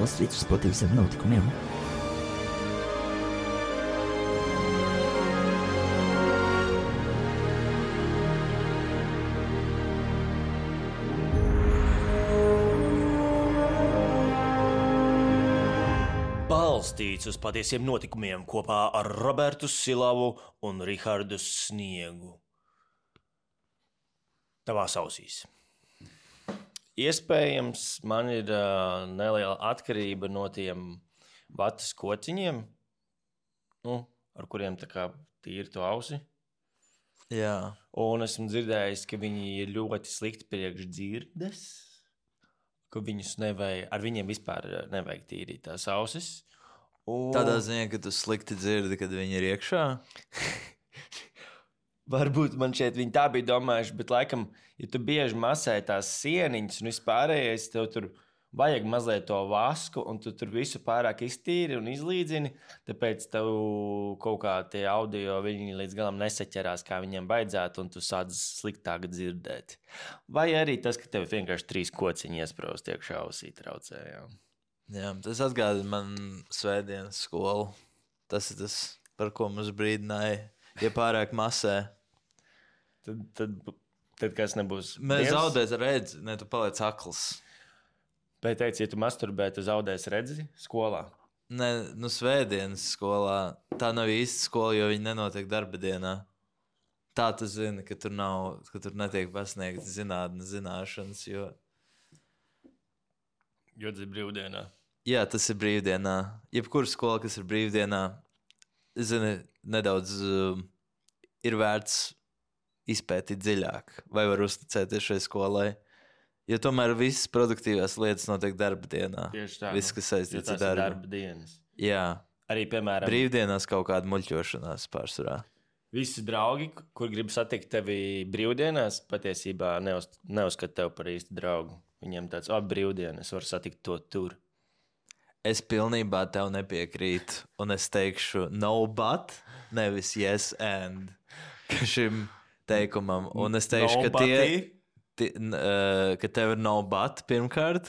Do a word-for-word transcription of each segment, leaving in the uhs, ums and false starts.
balstīts uz patiesiem notikumiem. Balstīts uz patiesiem notikumiem kopā ar Robertu Silavu un Rihardu Sniegu. Tavās ausīs. Iespējams, man ir uh, neliela atkarība no tiem vatas kociņiem, nu, ar kuriem tā kā tīri to ausi. Jā. Un esmu dzirdējis, ka viņi ir ļoti slikti priekš dzirdes, ka viņus nevajag, ar viņiem vispār nevajag tīrīt tās ausis. Un... Tādā ziņā, ka tu slikti dzirdi, kad viņi ir iekšā? Varbūt man šeit viņi tā bija domājuši, bet laikam, ja tu bieži masē tās sieniņas un vispārējais, tev tur vajag mazliet to vasku, un tu tur visu pārāk iztīri un izlīdzini, tāpēc tev kaut kā tie audio viņi līdz galam nesaķerās, kā viņiem vajadzētu, un tu sāc sliktāk dzirdēt. Vai arī tas, ka tev vienkārši trīs kociņi iespraust iekšā ausī traucē, jā. Jā, tas atgādina man svētdienas skolu. Tas ir tas, par ko mums brīdināja, ja pārāk masē. Tad, tad, tad kas nebūs? Mēs zaudēs redzi, ne tu paliec akls. Bet teici, ja tu masturbē, tu zaudēs redzi skolā? Ne, nu svētdienas skolā. Tā nav īsta skola, jo viņi nenotiek darba dienā. Tā tu zini, ka tur nav, ka tur netiek pasniegta zinātnes zināšanas, jo... Jo tas ir brīvdienā. Jā, tas ir brīvdienā. Jebkura skola, kas ir brīvdienā, zini, nedaudz uh, ir vērts izpētīt dziļāk, vai var uzticēties šai skolai. Jo tomēr visas produktīvās lietas notiek darba dienā. Tieši tā. Viss, kas saistīts ar darbu. darba dienas. Jā. Arī, piemēram, brīvdienās kaut kāda muļķošanās pārsvarā. Visi draugi, kur grib satikt tevi brīvdienās, patiesībā neuz, neuzskat tev par īstu draugu. Viņiem tāds, o, brīvdienas, var satikt to tur. Es pilnībā tev nepiekrītu, un es teikšu no but, nevis yes and šim teikumam. Un es teikšu, no ka, tie, tie, uh, ka tev ir no but pirmkārt.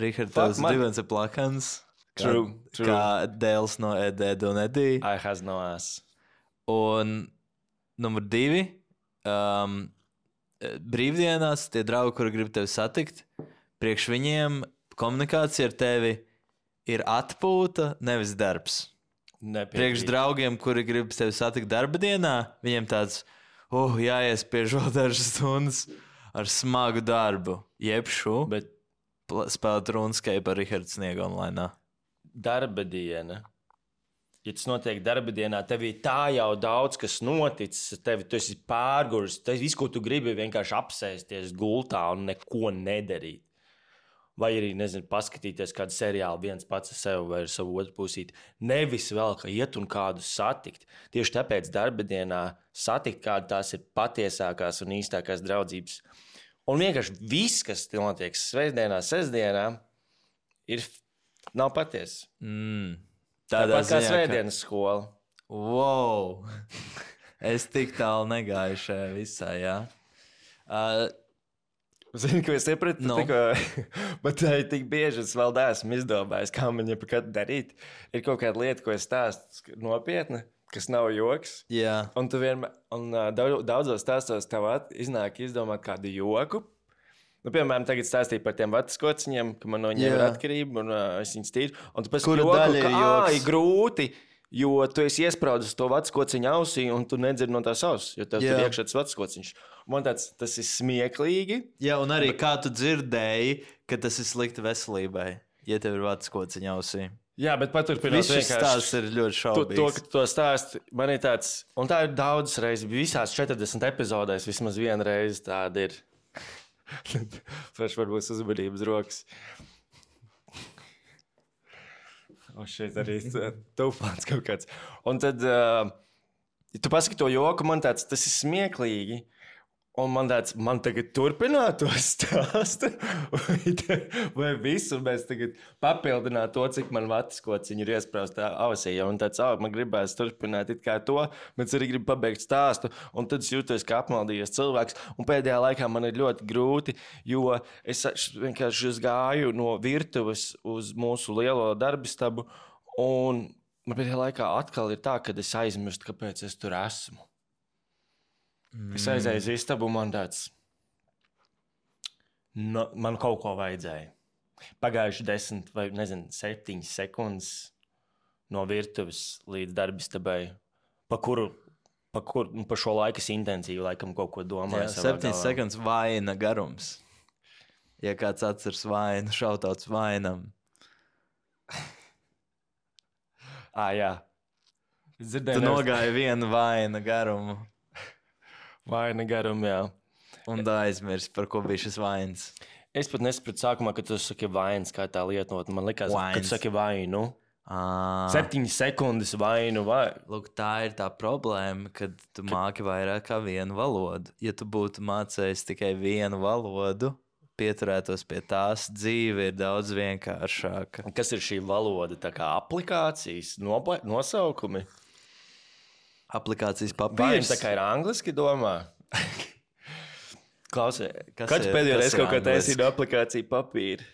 Richard, tavs divens ir plakans. True, kā, true. Kā Dēls no Ed, Ed un Edī. I has no ass. Un numur divi... Um, brīvdienās tie draugi, kuri grib tevi satikt, priekš viņiem komunikācija ar tevi ir atpūta, nevis darbs. Nepiekrīt. Priekš draugiem, kuri grib tevi satikt darba dienā, viņiem tāds, oh, jāiespiež vēl dažas stundas ar smagu darbu. Jebšu, bet spēlēt RuneScape ar Rihardu Sniegu online. Darba diena. Ja tas notiek darba dienā, tev ir tā jau daudz, kas noticis, tev, tu esi pārguris, tas viss, ko tu gribi, vienkārši apsēsties gultā un neko nedarīt. Vai arī, nezinu, paskatīties kādu seriālu viens pats ar sevi vai ar savu otru pusīti. Nevis vēl, ka iet un kādu satikt. Tieši tāpēc darba dienā satikt kādu tās ir patiesākās un īstākās draudzības. Un vienkārši viss, kas notiek svētdienā, sestdienā, ir, nav patiesa. Mm. Tādā Tāpat kā ziņā, svētdienas ka... skola. Wow! Es tik tālu negāju šajā visā, jā. Uh, Zini, ko es iepratu? No. Tikko, bet tā ir tik bieži, es vēl neesmu izdomājis, kā man jebkad darīt. Ir kaut kāda lieta, ko es stāstu nopietni, kas nav joks. Jā. Un tu vienmēr, un uh, daudzos stāstos tev iznāk izdomāt kādu joku. Nu, piemēram, tagad stāstīja par tiem vatas kociņiem, ka man no viņiem ir atkarība, un uh, es viņus tīru. Un tu pēc Kura joku, daļa ir ka, joks? ā, ir grūti, jo tu esi iespraudis to vatas kociņu ausī, un tu nedzirdi no tās auss, jo tev Jā. tur iekšā tas vatas kociņš. Man tāds, tas ir smieklīgi. Jā, un arī kā tu dzirdēji, ka tas ir slikti veselībai, ja tev ir vatas kociņa ausī. Jā, bet paturpināt Viss šis stāsts ir ļoti To, šaubīgs. to, ka tu to stāsti, man ir tāds, un tā ir daudzas reizes, visās četrdesmit epizodēs vismaz viena reize tāda ir. Paši varbūt uzmanības rokas. O, šeit arī tūpāns kaut kāds. Un tad, uh, ja tu pasaki to joku, man tāds, tas ir smieklīgi. Un man tāds, man tagad turpināt to stāstu, vai, vai visu mēs tagad papildināt to, cik man vatiskociņi ir iesprāstā ausī. Un tāds, oh, man gribēs turpināt it kā to, bet es arī gribu pabeigt stāstu. Un tad es jūtos kā apmaldījies cilvēks. Un pēdējā laikā man ir ļoti grūti, jo es vienkārši gāju no virtuves uz mūsu lielo darbistabu. Un man pēdējā laikā atkal ir tā, ka es aizmirstu, kāpēc es tur esmu. Es aizēju uz istabu, man tāds, no, man kaut ko vajadzēja. Pagājuši desmit vai, nezinu, septiņas sekundes no virtuves līdz darbistabai, pa kuru, pa kuru, nu, pa šo laiku es intensīvi laikam kaut ko domāju. Jā, septiņas sekundes vaina garums. Ja kāds atceras vainu, šautauts vainam. Ā, jā. Tu nogāji vienu vaina garumu. Vaina garumu, jā. Un aizmirst, par ko bija šis vainas. Es pat nesapratu sākumā, kad tu saki vainas, kā tā lietot. Man likās, Vains. ka tu saki vainu. À. Septiņas sekundes vainu vai... Lūk, tā ir tā problēma, kad tu māki vairāk kā vienu valodu. Ja tu būtu mācējis tikai vienu valodu, pieturētos pie tās, dzīve ir daudz vienkāršāka. Kas ir šī valoda? Tā kā aplikācijas, nopa- nosaukumi? Aplikācijas Vai papīrs. tā kā ir angliski domā? Klausies, Kas kad ir- pēdējo kas reizi ir kaut kā angliski? taisīju no aplikāciju papīra?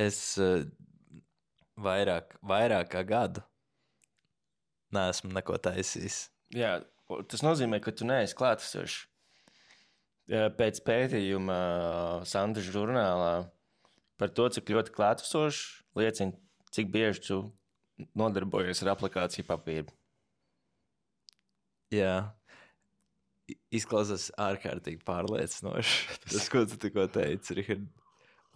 Es uh, vairāk, vairāk kā gadu neesmu neko taisījis. Jā, tas nozīmē, ka tu neesi klātesošs. Jā, pēc pētījuma Sandra žurnālā par to, cik ļoti klātesošs liecina, cik bieži tu nodarbojies ar aplikāciju papīru. Jā, I- izklausās ārkārtīgi pārliecinoši. Tas, ko tu tikko teici, Rihard.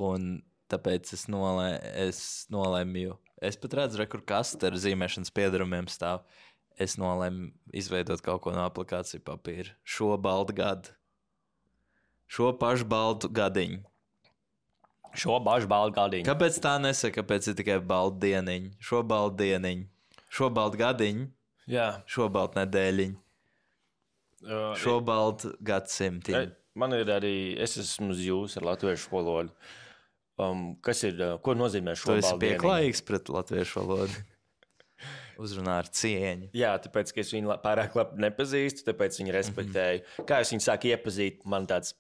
Un tāpēc es, nolē, es nolēmu, es pat redzu, re, kur kaste ar zīmēšanas piedarumiem stāv. Es nolēmu izveidot kaut ko no aplikāciju papīra. Šo baldu gadu. Šo pašu baldu gadiņu. Šo bažu baldu gadiņu. Kāpēc tā nesaka, kāpēc ir tikai baldu dieniņa? Šo baldu dieniņu. Šo baldu gadiņu. Jā. Šo baldu nedēļiņu. Uh, Šo baldu gadsimtiņu. Man ir arī, es esmu uz jūs ar latviešu valodu. Um, kas ir, uh, ko nozīmē šo Tu esi baldu dieniņu? pieklājīgs pret latviešu valodu. Uzrunā ar cieņu. Jā, tāpēc, ka es viņu la- pārāk labi nepazīstu, tāpēc viņu respektēju. Mm-hmm. Kā es viņu sāku iepazīt, man tāds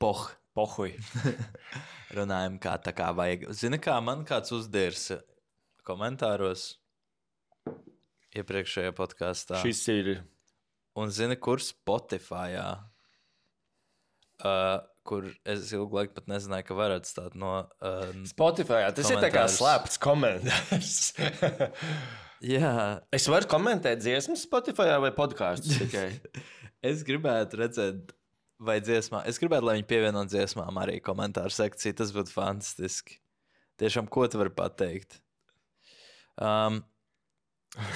Poh. pohuj. Runājam, kā tā kā vajag. Zini, kā man kāds uzdērs komentāros iepriekšējā podkāstā. Šis ir. Un zini, kur Spotifyā, uh, kur es ilgu laiku pat nezināju, ka var atstāt no... Uh, Spotify, tas ir tā kā Komentārs. slēpts komentārs. jā, Es varu komentēt dziesmas Spotify vai podkāstus tikai. es gribētu redzēt, vai dziesmā, es gribētu, lai viņi pievieno dziesmām arī komentāru sekciju, tas būtu fantastiski. Tiešām, ko tu vari pateikt? Um,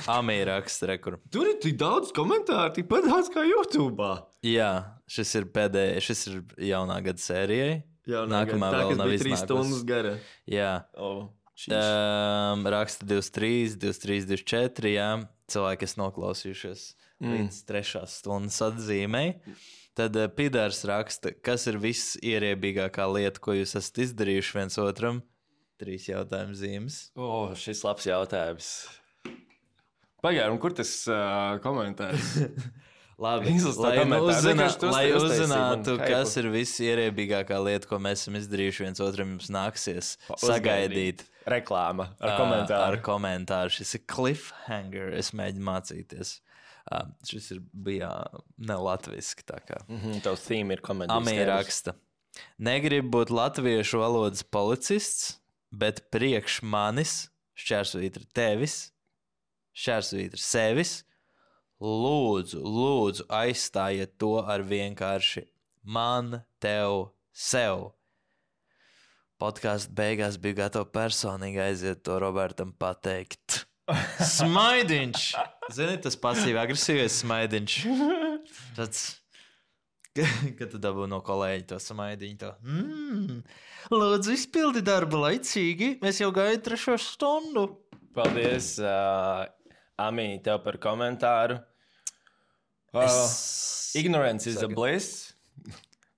Amī raksta, re, kur. Tur ir tik daudz komentāru, tikpat daudz kā YouTube. Jā, šis ir pēdējais, šis ir jaunā gada sērijai. Jā, Nākamā tā, vēl kas nav bija trīs iznākusi. stundas gara. Jā. Oh, Um, raksta divdesmit trīs, divdesmit trīs, divdesmit četri. Jā, cilvēki, kas noklausījušies mm. līdz trešās stundas atzīmei. Tad uh, Pidārs raksta, kas ir viss ierēbīgākā lieta, ko jūs esat izdarījuši viens otram? Trīs jautājumu zīmes. oh, šis labs jautājums. Pagaidām, kur tas uh, komentārs? Labi, Izlas tā lai, nu komentāru. uzzinā, Vienkārši tu lai uztaisīji man uzzinātu, hypu. kas ir viss ierēbīgākā lieta, ko mēs esam izdarījuši viens otram, jums nāksies sagaidīt. Reklāma ar Ā, komentāru. Ar komentāru. Šis ir cliffhanger. Es mēģinu mācīties. Uh, šis ir bija ne latviski. Tā kā Mhm, tavs theme ir komentārs. Amī raksta. Negribu būt latviešu valodas policists, bet priekš manis, šķērsvītra tevis, šķērsvītra sevis, lūdzu, lūdzu aizstājiet to ar vienkārši man, tev, sev. Podkāstu beigās biju gatava personīgi aiziet to Robertam pateikt. Smaidiņš! Zini, tas pasīvi agresīvais smaidiņš. Tāds, kad tu dabū no kolēģa to smaidiņu, to. Mm, lūdzu, izpildi darbu laicīgi, mēs jau gaidām trešo stundu. Paldies, uh, Amī, tev par komentāru. Uh, Es- Ignorance is a Saka. bliss.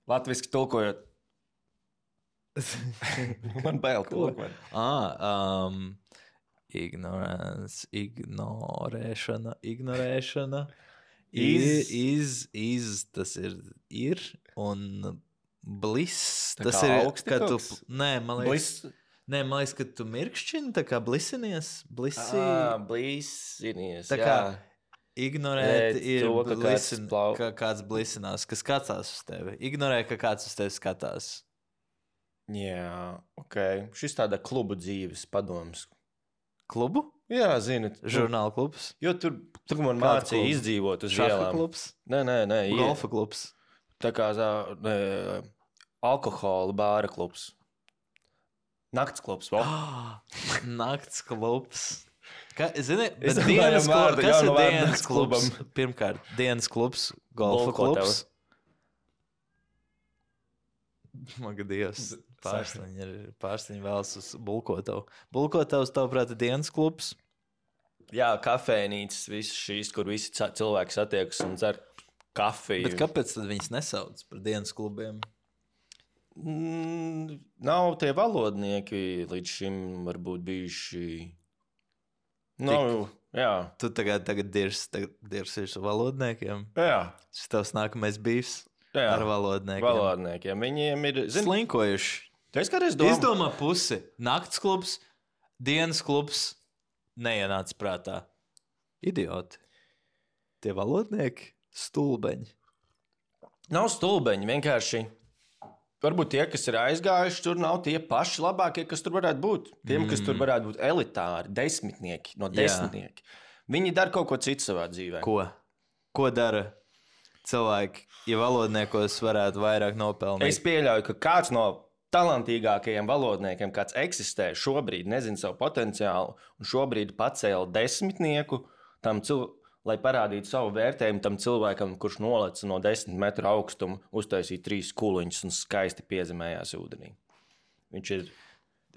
Latviski tulkojot. Man bail tulkot. Ah, um, ignorance, ignorēšana, ignorēšana. Iz, iz, iz, tas ir, ir, un bliss, Tā tas kā ir, augsti kad tu, kaut kas? nē, man liekas, Bliss. nē, man liekas, ka tu mirkšķini, tā kā blisinies, blisī, Ah, blīsinies, tā jā. kā ignorēt Ēt ir to, ka kāds blisin, plau- ka kāds blisinās, kas skatās uz tevi. Ignorē, ka kāds uz tevi skatās. Jā, ok. Šis tāda klubu dzīves padoms. Klubu? Jā, zini. tu- Žurnāla klubs? Jo tur, tur man Kāds mācīja klubs? izdzīvot uz Šaha ielām. klubs? Nē, nē, nē. ie- Golfa klubs? Tā kā zā, nē, alkohola bāra klubs. Nakts klubs. Vo. Nakts klubs. Ka, zini, Es bet domāju, dienas vārdu, klubs, kas jaunu ir vārdu dienas nakts klubs? klubam. Pirmkārt, dienas klubs, golfa Bulkotava. klubs. Maga Dievs, pārsliņi ir pārsliņi vēlas uz Bulkotavu. Bulkotavs, tavuprāt, ir dienas klubs. Jā, kafejnīcas, visas šīs, kur visi ca- cilvēki satiekas un dzer kafiju. Bet kāpēc tad viņas nesauc par dienas klubiem? Mm, nav tie valodnieki līdz šim varbūt bijuši. Nav, jā. Tu tagad, tagad dirs, tagad dirs ir ar valodniekiem. Jā, Šis tavs nākamais bijis jā. ar valodniekiem. Valodniekiem. Viņiem ir, zini, Slinkojuši. tu esi kādreiz domājis? Izdomā pusi. Nakts klubs, dienas klubs neienāca prātā. Idioti. Tie valodnieki stulbeņi. Nav stulbeņi, vienkārši. Varbūt tie, kas ir aizgājuši, tur nav tie paši labākie, kas tur varētu būt. Tiem, mm. kas tur varētu būt elitāri, desmitnieki, no desmitnieki. Viņi dara kaut ko citu savā dzīvē. Ko? Ko dara cilvēki, ja valodniekos varētu vairāk nopelnīt? Es pieļauju, ka kāds no talantīgākajiem valodniekiem, kāds eksistē šobrīd, nezina savu potenciālu, un šobrīd pacēla desmitnieku tam cilvēkam, lai parādītu savu vērtējumu tam cilvēkam, kurš nolaica no desmit metru augstuma, uztaisīja trīs kuliņus un skaisti piezemējās ūdenī. Viņš ir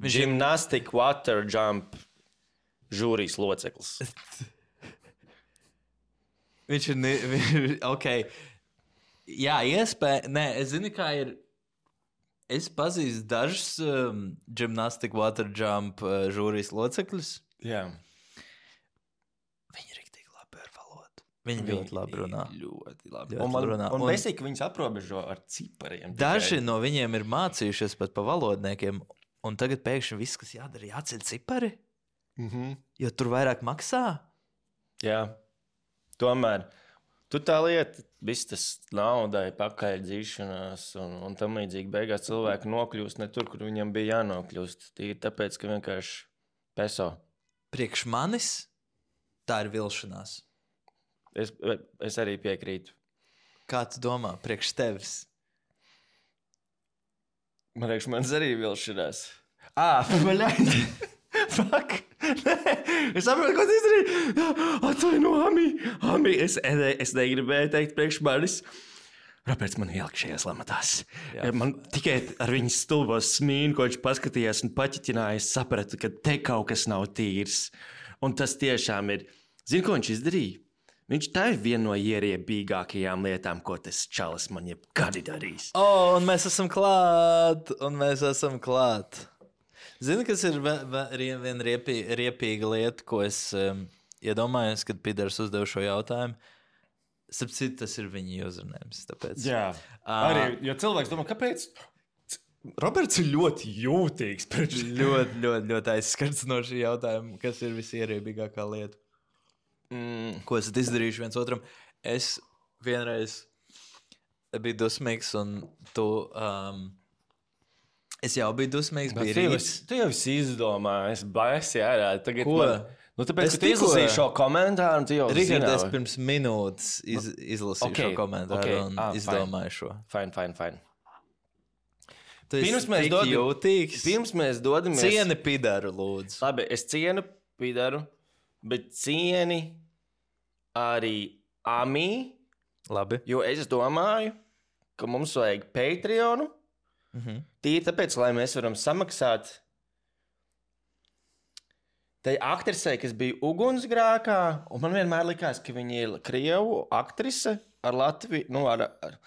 Viņš ir- gymnastic water jump žūrijas loceklis. Viņš ir. ne- Viņš ir ok. Jā, iespēja. Nē, es zinu, kā ir. Es pazīstu dažus um, gymnastic water jump uh, žūrijas locekļus. Jā. Viņi ir rīktīgi labi ar valodu. Viņi ļoti labi runā. Ļoti labi. Ļoti Un man, runā. un Un- besīgi, ka viņus aprobežo ar cipariem. Daži tikai. no viņiem ir mācījušies pat pa valodniekiem, un tagad pēkšņi viss, kas jādara, jāceļ cipari, Mhm. jo tur vairāk maksā. Jā. Tomēr. Tu tā lieta, viss tas naudai, pakaļ dzīšanās un, un tam līdzīgi beigās cilvēki nokļūst ne tur, kur viņam bija jānokļūst. Tīri tāpēc, ka vienkārši peso. Priekš manis tā ir vilšanās. Es, es arī piekrītu. Kā tu domā, priekš tevis? Man liekas, man arī vilšanās. Ah, paļāji! Fuck! Nē, es saprotu, ko tu izdarīji. Atvaino, Ami. Ami, es, es negribēju teikt priekš manis. Roberts man ielika šajās lamatās. Jā. Man tikai ar viņas stulbos smīnu, ko viņš paskatījās un paķitinājās, sapratu, ka te kaut kas nav tīrs. Un tas tiešām ir. Zini, ko viņš izdarīja? Viņš tā ir viena no ieriebīgākajām lietām, ko tas čalis man jebkad ir darījis. O, oh, un mēs esam klāt! Un mēs esam klāt! Zini, kas ir ve- ve- rie- viena riepī, riepīga lieta, ko es um, iedomājos, kad Pīters uzdev šo jautājumu? Sapcīt, tas ir viņa uzrunājums. Tāpēc. Jā, Ā. arī, jo cilvēks domā, kāpēc Roberts ir ļoti jūtīgs pret šo. Ļoti, ļoti, ļoti aizskarts no šī jautājuma, kas ir visierībīgākā lieta. Mm, Ko esat izdarījuši viens otram? Es vienreiz biju dusmīgs, un tu. Um, es jau biju dusmīgs, bet bija tu jau, rīts. esi- tu jau esi izdomājis, baisi ārā. Tagad Ko? man, nu, tāpēc, Es ka tu tikko- izlasīji šo komentāru, un tu jau Rihards, es zināji. pirms minūtes iz, izlasīju ok, okay, šo komentāru ok, okay. un ah, ah, izdomāju šo. Fine, fine, fine. Tu esi Pirms mēs tik dodam- jūtīgs. Pirms mēs dodamies. Cieni Pīdaru, lūdzu. Labi, es cienu Pīdaru, bet cieni arī Amī, Labi. jo es domāju, ka mums vajag Patreonu. Mhm. Tīri tāpēc, lai mēs varam samaksāt tai aktrisei, kas bija ugunsgrēkā, un man vienmēr likās, ka viņa ir krievu aktrise ar Latviju, nu, ar, ar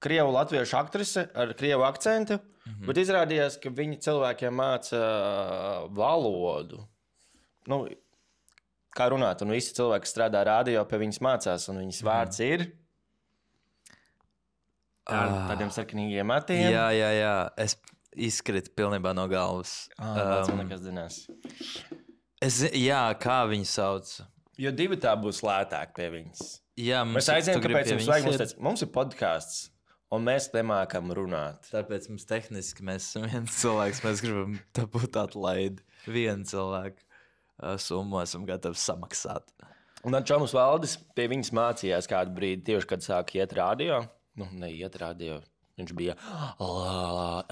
krievu latviešu aktrise ar krievu akcentu, mm-hmm. bet izrādījās, ka viņi cilvēkiem māca uh, valodu. Nu, kā runāt, un visi cilvēki, kas strādā radio, pie viņas mācās, un viņas vārds mm. ir ar ah. tādiem sarkanīgiem matiem. Jā, jā, jā. Es izkritu pilnībā no galvas. Ah, um, nekas zinās. Es, jā, kā viņu sauc? Jo divi tā būs lētāk pie viņas. Jā, mēs aizējām, kāpēc mums vajag. Mums, teic, mums ir podcasts, un mēs nemākam runāt. Tāpēc mums tehniski mēs esam viens cilvēks, mēs gribam tā būt atlaidi. Vienu cilvēku uh, summu esam gatavi samaksāt. Un tad Čomus Valdis pie viņas mācījās kādu brīdi, tieši kad sāka iet radio. Nu, neiet radio. Viņš bija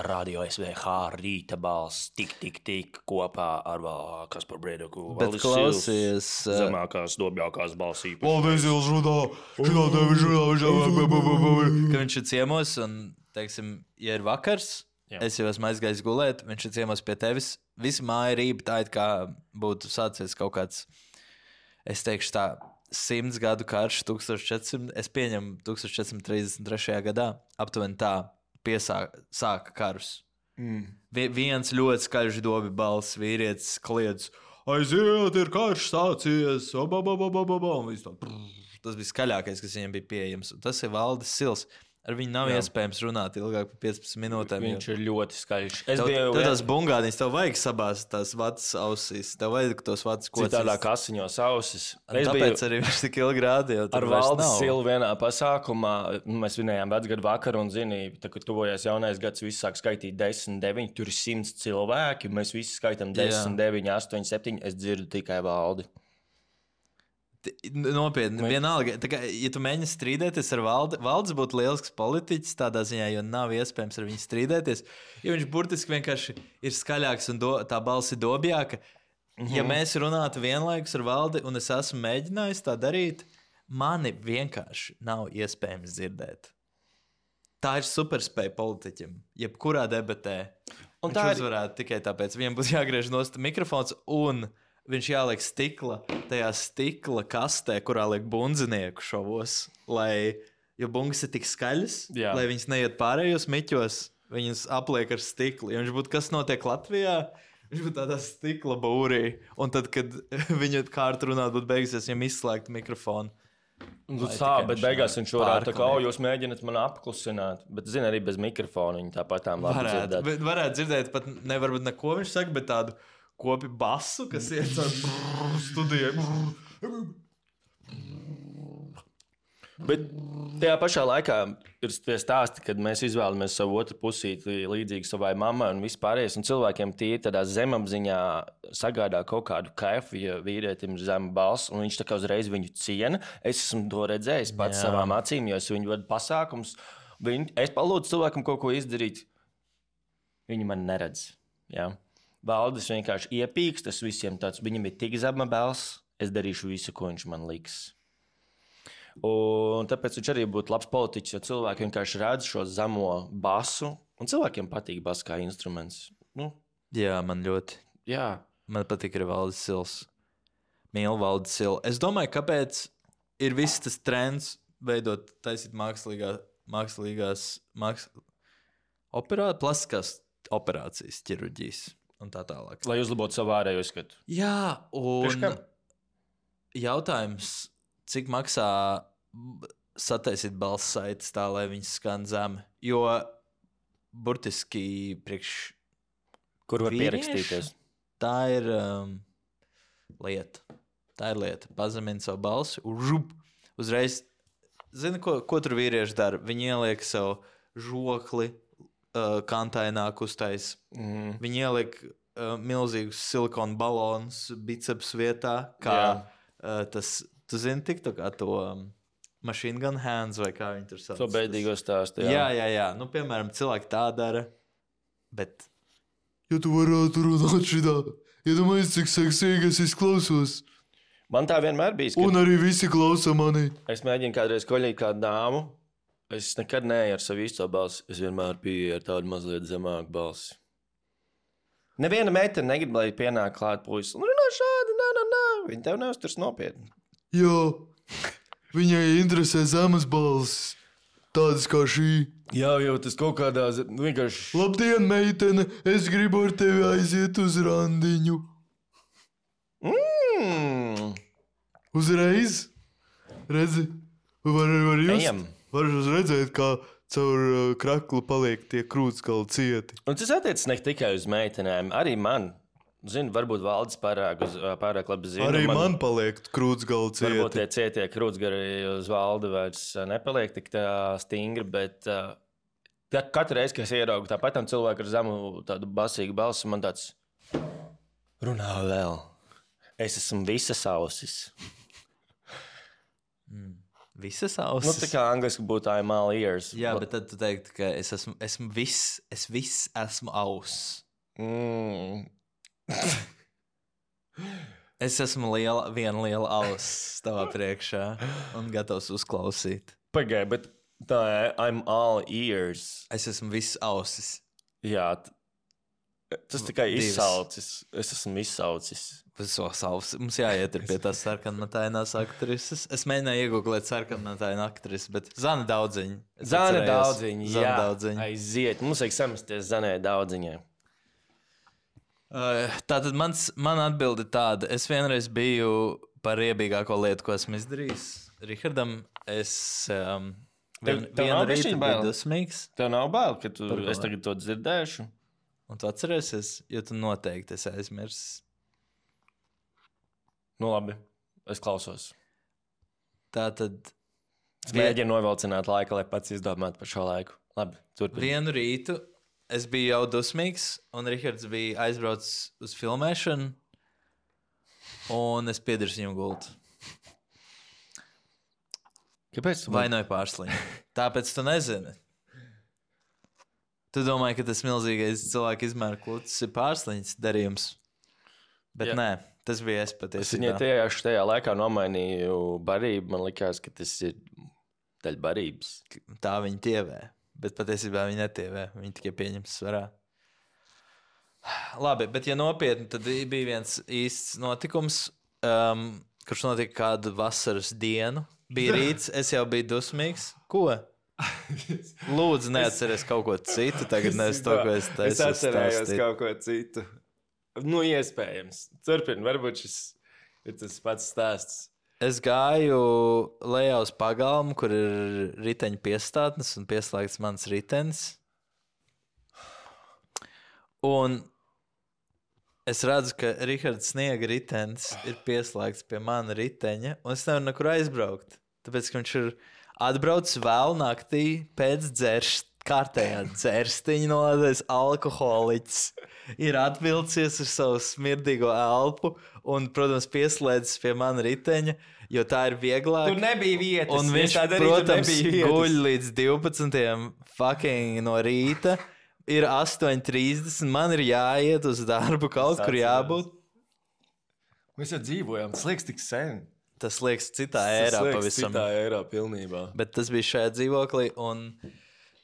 radio S V H rīta balss, tik, tik, tik kopā ar Kasparu Briedoku. Bet klausies. Zemākās, dobjākās balss īpaši. Paldies, Ils runā. Šitā tevi žurā. Ka viņš ir ciemos un, teiksim, ja ir vakars, Jā. Es jau esmu aizgājis gulēt, viņš ir ciemos pie tevis. Visi māja rība tā, it kā būtu sācies kaut kāds, es teikšu tā, simts gadu karš, tūkstoš četrsimt, es pieņemu tūkstoš četrsimt trīsdesmit trešajā gadā, aptuveni tā piesāka karus. Mm. Viens ļoti skaļš dobi balss, vīrietis kliedz, aiziet, ir karš sācies, o, ba, ba, ba, ba, ba, ba. Tas bija skaļākais, kas viņam bija pieejams. Un tas ir Valdis Sils. Ar viņu nav Jā. Iespējams runāt ilgāk par piecpadsmit minūtēm. Viņš jo... ir ļoti skaļš. Es tev, biju... Tev tās bungādīs, tev vajag sabāzt tās vatas ausīs. Tev vajag tos vatas kocīs. Citādā kasiņos ausis. Es Tāpēc biju... arī viņš tik ilgi rādīja. Ar Valdis Silu vienā pasākumā, mēs vinējām vecgadu vakaru un zini, tā, kad tuvojās jaunais gads, visi sāk skaitīt desmit, deviņi, tur ir simts cilvēki, mēs visi skaitam desmit, deviņi, astoņi, septiņi, es dzirdu tikai Valdi. Nopietni, vienalga, tā kā, ja tu mēģini strīdēties ar Valdi, Valdis būtu lielisks politiķis tādā ziņā, jo nav iespējams ar viņu strīdēties, jo viņš burtiski vienkārši ir skaļāks un do, tā balss ir dobjāka. Mm-hmm. Ja mēs runātu vienlaikus ar Valdi un es esmu mēģinājis tā darīt, mani vienkārši nav iespējams dzirdēt. Tā ir superspēja politiķim, jebkurā debatē. Un viņš ir... uzvarētu tikai tāpēc, viņam būs jāgriež nost mikrofons un... Viņš jāliek stikla, tajā stikla kastē, kurā liek bundzinieku šovos, lai, jo bungas ir tik skaļas, Jā. Lai viņas neiet pārējos miķos, viņas apliek ar stiklu. Ja viņš būtu, kas notiek Latvijā, viņš būtu tādā stikla būrī, un tad, kad viņa kārta runāt būtu beigusies, viņam izslēgt mikrofonu. Nu, tā, bet beigās viņš varētu tā kā, o, jūs mēģināt mani apklusināt, bet, zini, arī bez mikrofona viņi tāpat tām labi varētu, dzirdēt. Varētu dzirdēt, pat nevar būt neko viņš saka, bet tādu kopi basu, kas iet caur studijai. Bet tajā pašā laikā ir tie stāsti, kad mēs izvēlamies savu otru pusīti līdzīgi savai mammai un vispārējais, un cilvēkiem tie tādā zemapziņā sagādā kaut kādu kaifu, ja vīrietim ir zema balss, un viņš tā kā uzreiz viņu ciena. Es esmu to redzējis pats Jā. Savām acīm, jo es viņu vadu pasākums. Viņu, es palūdzu cilvēkam kaut ko izdarīt. Viņi man neredz. Jā. Valdis vienkārši iepīks, tas visiem tāds, viņam ir tik zema balss, es darīšu visu, ko viņš man liks. Un tāpēc viņš arī būtu labs politiķis, jo cilvēki vienkārši redz šo zemo basu, un cilvēkiem patīk bass kā instruments. Nu, Jā, man ļoti. Jā. Man patīk arī Valdis Sils. Mīlu Valdis Silu. Es domāju, kāpēc ir viss tas trends veidot, taisīt mākslīgā, mākslīgās, māks... operā, plastiskās operācijas, ķirurģijas. Un tā tālāk. Lai uzlabotu savu ārējo skatu. Jā, un jautājums, cik maksā sataisīt balss saites tā, lai viņas skan zemi. Jo burtiski priekš kur var pierakstīties. Tā ir um, lieta. Tā ir lieta. Pazemina savu balsi un žup. Uzreiz, zini, ko, ko tur vīrieši dara? Viņi ieliek savu žokli, Uh, kantaināk uztais. Mm. Viņi ieliek uh, milzīgus silikonu balonus biceps vietā, kā uh, tas, tu zini, tiktu kā to um, machine gun hands vai kā viņi tur sauc. To bēdīgo stāstu, jā. Jā, jā, jā. Nu, piemēram, cilvēki tā dara, bet... Ja tu varētu runāt šitā, iedomājies, cik seksīgi es izklausos. Man tā vienmēr bijis, ka... Un arī visi klausa mani. Es mēģinu kādreiz koļīt kādu dāmu. Es nekad neeju ar savu īsto balsi. Es vienmēr biju ar tādu mazliet zemāku balsi. Neviena meitene negrib, lai pienāk klāt puisis. Un runā šādi, nā, nā, nā. Viņa tev neuzturs nopietni. Jā, viņai interesē zemes balsis. tādas kā šī. Jā, jau tas kaut kādā zi- vienkārši. Labdien, meitene, es gribu ar tevi aiziet uz randiņu. Mm. Uzreiz, redzi, var, var just, Ejam. var redzēt, kā caur uh, kraklu paliek tie krūtskali cieti. Un tas attiecas ne tikai uz meitenēm, arī man. Zinu, varbūt valdes pārāk, uz, pārāk labi zina. Arī man, man paliek krūtskali Varbūt tie cieti. cietie krūtsgari uz valdi vairs ā, nepaliek tik tā stingri, bet uh, tā, katru reizi, kad es ieraugu tāpat tam cilvēku ar zemu tādu basīgu balsi, man tāds runā vēl. Es esmu visas ausis. Mm. Visas Nu, ausis. tā kā angliski būtu I'm all ears. Jā, bet tad tu teiktu, ka es esmu, esmu viss, es viss esmu auss. Mm. Es esmu liela, viena liela auss tavā priekšā un gatavs uzklausīt. Pagaid, bet tā I'm all ears. Es esmu viss ausis. Jā, t- tas tikai Divas. izsaucis. Es esmu izsaucis. Visos ausis. Mums jāiet ir pie tās sarkanmatainās aktrises. Es mēģināju iegūglēt sarkanmatainu aktrisi, bet Zana Daudziņa. Es Zana atcerējos. Daudziņa, Zana jā. Daudziņa. Aiziet, mums vajag samesties Zanai Daudziņai. Uh, Tātad mans, man atbilde tāda. Es vienreiz biju par riebīgāko lietu, ko esmu izdarījis. Rihardam, es um, vien, Tev- tev vienu nav rītu bišķiņ biju bail? dusmīgs. Tev nav bail, ka tu, Par ko? es tagad to dzirdēšu? Un tu atcerēsies, jo tu noteikti esi aizmirsis. Nu labi, es klausos. Tātad Es mēģinu novilcināt laiku, lai pats izdomātu par šo laiku. Labi, turpini. vienu rītu es biju jau dusmīgs, un Rihards bija aizbraucis uz filmēšanu, un es piedarīju viņam gultu. Kāpēc tu Vainoju pārsliņu. Tāpēc tu nezini. Tu domāji, ka tas milzīgais cilvēku izmēra klūcis ir pārsliņas darījums. Bet Jā. nē, tas bija es Es viņai patiesībā. tajā, tajā laikā nomainīju barību. Man liekas, ka tas ir daļa barības. Tā viņa tievē. Bet patiesībā viņa netievē. Viņa tikai pieņems svarā. Labi, bet ja nopietni, tad bija viens īsts notikums, um, kurš notika kādu vasaras dienu. Bija rīts, es jau biju dusmīgs. Ko? Lūdzu, neatceries kaut ko citu. Tagad nevis to, ko es teicu. Es atcerējos kaut ko citu. Nu, iespējams. Turpini, varbūt šis ir tas pats stāsts. Es gāju lejā uz pagalmu, kur ir riteņa piestātnes un pieslēgts mans ritenis. Un es redzu, ka Rihards Sniega ritenis ir pieslēgts pie mana riteņa, un es nevaru nekur aizbraukt. Tāpēc, ka viņš ir atbraucis vēl naktī pēc dzeršanas, kārtējā dzerstiņa nolādējis alkoholiķis. Ir atvilcies ar savu smirdīgo elpu un, protams, pieslēdzis pie mana riteņa, jo tā ir vieglāk. Tur nebija vietas. Un Ja viņš, tā darītu, tur protams, nebija vietas. guļ līdz divpadsmitiem fucking no rīta. Ir astoņi trīsdesmit, man ir jāiet uz darbu, kaut kur jābūt. Mēs jau dzīvojām, tas liekas tik sen. Tas liekas citā Tas ērā liekas pavisam. Citā ērā pilnībā. Bet tas bija šajā dzīvoklī, un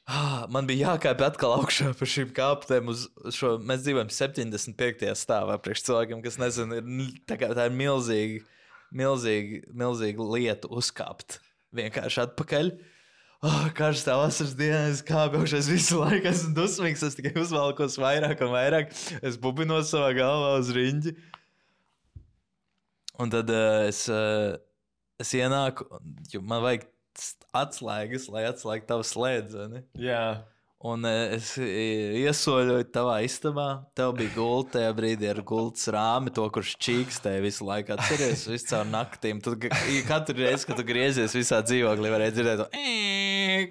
ah, man bija jākāpj atkal augšā par šīm kāpnēm. Uz šo, mēs dzīvojam septiņdesmit piektajā stāvā. Priekš cilvēkiem, kas nezina, ir, tā, kā, tā ir milzīga, milzīga, milzīga lieta uzkāpt vienkārši atpakaļ. Oh, karstā vasaras dienā es kāpju augšā, es visu laiku esmu dusmīgs, es tikai uzvalkos vairāk un vairāk. Es bubinos savā galvā uz riņģi. Un tad uh, es, uh, es ienāku, jo man vajag atslēgas, lai atslēgtu tavu slēdzi. Jā. Un uh, es i- iesoļoju tavā istabā. Tev bija gulta tajā brīdī ar gultas rāmi, to, kurš čīkstēja visu laiku. Atceries, visu caur naktīm. Tu, ga- katru reizi, kad tu griezies visā dzīvoklī, varēja dzirdēt to,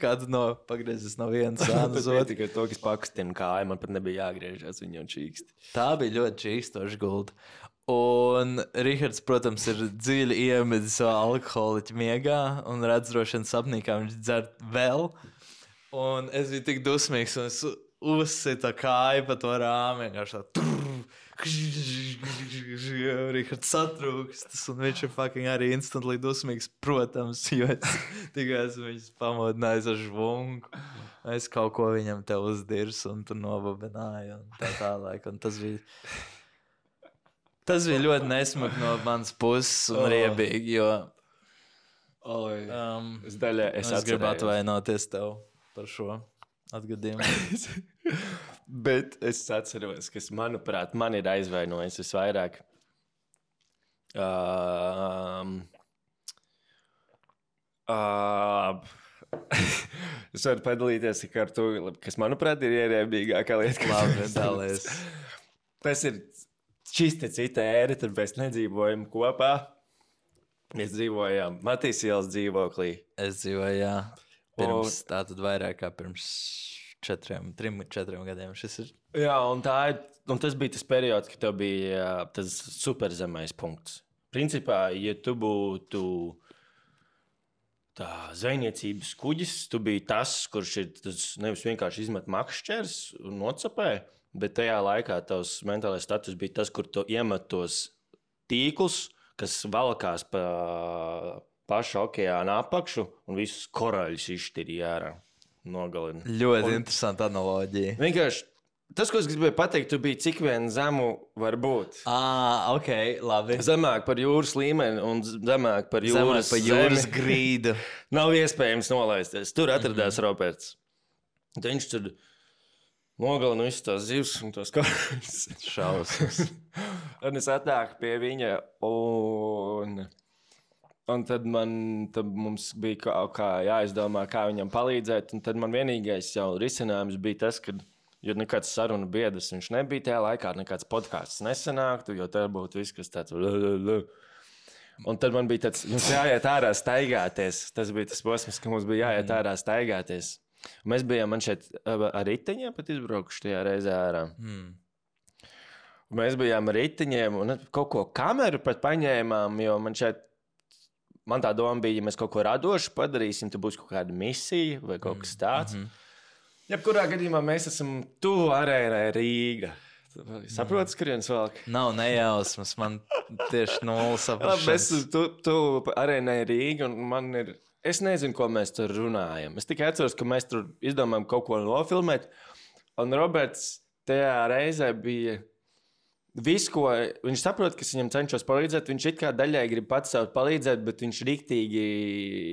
kā tu no, pagriezis no vienas sānas uz Tas otru. tikai to, kas pakustina kāju, man pat nebija jāgriežas, viņa jau čīkst. Tā bija ļoti čīkstoša gulta. Un Rihards, protams, ir dziļi iemedzis savā alkoholiķa miegā un redz droši vien sapnī, kā viņš dzer vēl. Un es biju tik dusmīgs, un es uzsitu kāju pa to rāmi. Vienkārši tā. Rihards satrūkstas, un viņš ir fucking arī instantly dusmīgs, protams, jo es tikai esmu viņus pamodinājis ar žvungu. Es kaut ko viņam te uzdirsu, un tu novabināji, un tā tālāk. Un tas bija... Tas bija ļoti nesmagi no manas puses un Oh. riebīgi, jo Oi. Um, Es, daļai, es, es gribu atcerējos. atvainoties tev par šo atgadījumu. Bet es atceros, kas, manuprāt, man ir aizvainojis visvairāk. Um, uh, es varu padalīties ar to, kas, manuprāt, ir ierēbīgākā lieta. Labi, dalies. Tas ir šis te cita ēra, tad mēs nedzīvojam kopā. Mēs dzīvojām Matīs ielas dzīvoklī. Es dzīvoju, jā. Pirms, tā tad vairāk kā pirms četriem, trim, četriem gadiem šis ir. Jā, un, tā ir, un tas bija tas periods, kad tev bija jā, tas superzemais punkts. Principā, ja tu būtu tā zvejniecības kuģis, tu biji tas, kurš ir tas nevis vienkārši izmet makšķers un nocapē, bet tajā laikā tavs mentālais status bija tas, kur tu iemet tos tīklus, kas valkās pa pašu okeāna apakšu un visus koraļus izšķirīja ārā. Nogalina. Ļoti un, interesanta analoģija. Vienkārši tas, ko es gribēju pateikt, tu biji cik vien zemu var būt. Ah, ok, labi. Zemāk par jūras līmeni un zemāk par jūras, Zemāk par jūras zemi. grīdu. Nav iespējams nolaisties. Tur atradās mm-hmm. Roberts. Viņš tur nogalina visas tās zivs un tos koraļus. Šausmas. Un es atnāku pie viņa un... Un tad, man, tad mums bija kaut kā jāizdomā, kā viņam palīdzēt. Un tad man vienīgais jau risinājums bija tas, ka, jo nekāds sarunu biedrs viņš nebija tajā laikā, nekāds podkāsts nesanāktu, jo tā būtu viss, kas tāds... Un tad man bija tāds, mums jāiet ārā staigāties. Tas bija tas posms, ka mums bija jāiet ārā staigāties. Un mēs bijām man šeit ar riteņiem pat izbraukuši tajā reizē ārā. Mm. Un mēs bijām ar riteņiem un kaut ko kameru pat paņēmām, jo man šeit Man tā doma bija, ja mēs kaut ko radošu padarīsim, tad būs kaut kāda misija vai kaut kas tāds. Mm -hmm. Jebkurā gadījumā mēs esam tuvu arēnai Rīga. Saprotas, mm. kurienes velk? Nav nejausmas, man tieši nulle saprašanas. Mēs esam tu, tuvu arēnai Rīga un man ir... Es nezinu, ko mēs tur runājam. Es tikai atceros, ka mēs tur izdomājam kaut ko nofilmēt. Un Roberts tajā reizē bija... Viss, ko viņš saprot, kas viņam cenšas palīdzēt, viņš it kā daļai grib pats sev palīdzēt, bet viņš riktīgi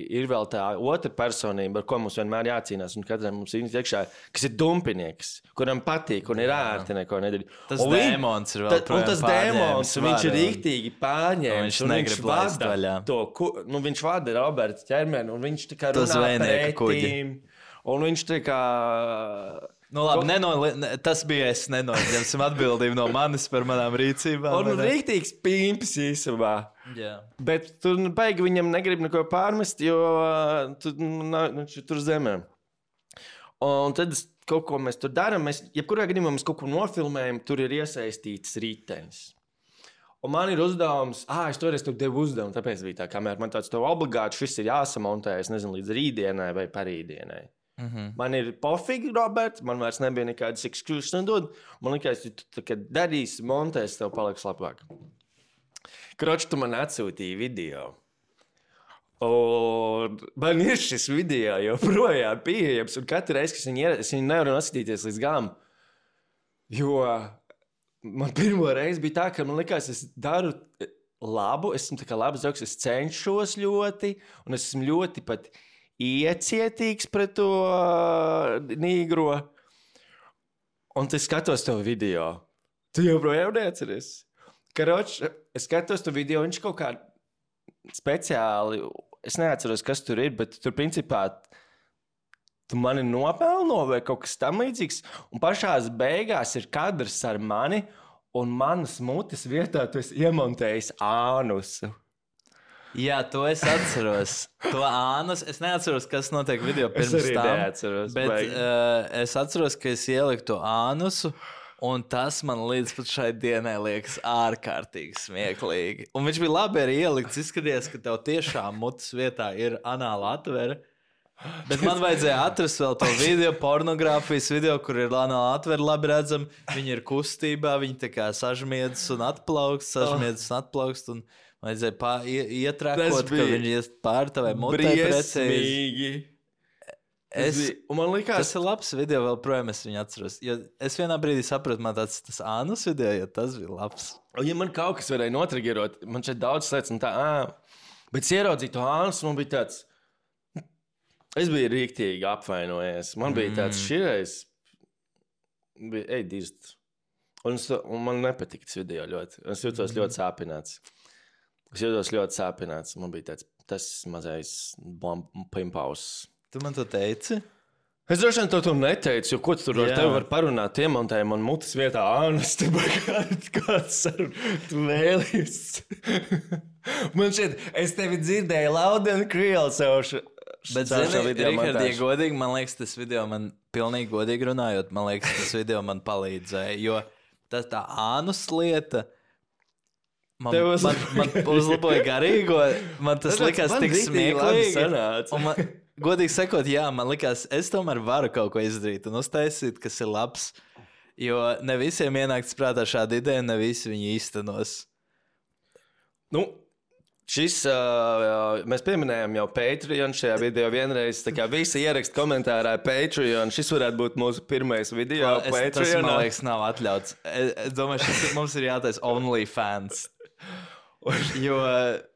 ir vēl tā otra personība, ar ko mums vienmēr jācīnās. Un katram mums ir iekšā, kas ir dumpinieks, kuram patīk un ir ērti neko nedarīt. Tas un dēmons ir vēl ta, un tas dēmons, viņš ir riktīgi pārņēmis. Viņš un negrib viņš laist vada vaļā. to, ku, nu viņš vada Roberta ķermeni, un viņš tā kā To runā zvejnieka kuģi. pretīm. Un viņš tā kā... Nu, labi, nenoli, ne, tas bija es nenoņemsim atbildību no manis par manām rīcībām. Un rīktīgs pīmpis īsumā. Jā. Bet tu baigi viņam negrib neko pārmest, jo uh, tu, nu, tur zemē. Un tad kaut ko mēs tur darām. Mēs, jebkurā gadījumā mēs kaut ko nofilmējam, tur ir iesaistīts ritenis. Un man ir uzdevums, ah, es toreiz tev devu uzdevumu, tāpēc bija tā kamera. Man tāds tev obligāti šis ir jāsamontē, es nezinu, līdz rītdienai vai parītdienai. Mm-hmm. Man ir pofīgi, Roberts, man vairs nebija nekādas excuses nedod. Man liekas, ja tu darīsi, montēs, tev paliks labāk. Kroč, tu man atsūtīji video. Un man ir šis video joprojām pieejams, un katru reizi, kad viņi ir, es viņu nevaru noskatīties līdz galam. Jo man pirmo reizi bija tā, ka man likās, es daru labu, esmu tā kā labs doks, es cenšos ļoti, un es esmu ļoti pat iecietīgs pret to uh, nīgro. Un es skatos to video. Tu joprojām neatceries. Karoč, es skatos to video, viņš kaut kā speciāli, es neatceros, kas tur ir, bet tur principā tu mani nopelno vai kaut kas tam līdzīgs. Un pašās beigās ir kadrs ar mani, un manas mutes vietā tu esi iemontējis ānusu. Jā, to es atceros. To ānus. Es neatceros, kas notiek video pirms tam. Es arī neatceros. Bet uh, es atceros, ka es ieliku to ānusu, un tas man līdz pat šai dienai liekas ārkārtīgi smieklīgi. Un viņš bija labi arī ielikts. Izskaties, ka tev tiešām mutes vietā ir anāla atvere. Bet man vajadzēja atrast vēl to video, pornogrāfijas video, kur ir anāla atvere labi redzama. Viņi ir kustībā, viņi tā kā sažmiedz un atplaukst, sažmiedz un atplaukst. Un vajadzēja pā, ietrākot, ka viņi ies pār tavai mutē briesmīgi. Es, un man likās... Tas ir labs video, vēl projām es viņu atceros. Jo es vienā brīdī sapratu, man tāds tas ānus video, jo tas bija labs. Un ja man kaut kas varēja notrigerot, man šeit daudz lietas un tā, ā, Bet es ieraudzīju to ānus, man bija tāds... Es biju rīktīgi apvainojies. Man bija tāds širais... Bija, ej, dirst. Un, es, un man nepatika tas video ļoti. Es jūtos ļoti sāpināts. Es jūtos ļoti sāpināts. Man bija tāds, tas mazais pimpaus. Tu man to teici? Es droši vien to tu neteicu, jo ko tu tur ar tevi var parunāt, iemontēji man mutes vietā ānas, tu kāds saruna, tu vēlies. Man šeit, es tevi dzirdēju loud and real savu. Bet, zini, Richard, ja godīgi, man liekas, tas video man pilnīgi godīgi runājot, man liekas, tas video man palīdzēja, jo tas tā ānus lieta man, uz... man, man uzlaboja garīgo, man tas likās tik smieklīgi. Un man, godīgi sakot, jā, man likās, es tomēr varu kaut ko izdarīt un uztaisīt, kas ir labs, jo ne visiem ienākts prātā šāda ideja, ne visi viņi īstenos. Nu, šis, uh, mēs pieminējām jau Patreon šajā video vienreiz, tā kā visi ierakst komentārā Patreon, šis varētu būt mūsu pirmais video es, Patreon. Tas, man liekas, nav atļauts. Es, es domāju, šis mums ir jātais OnlyFans. Jo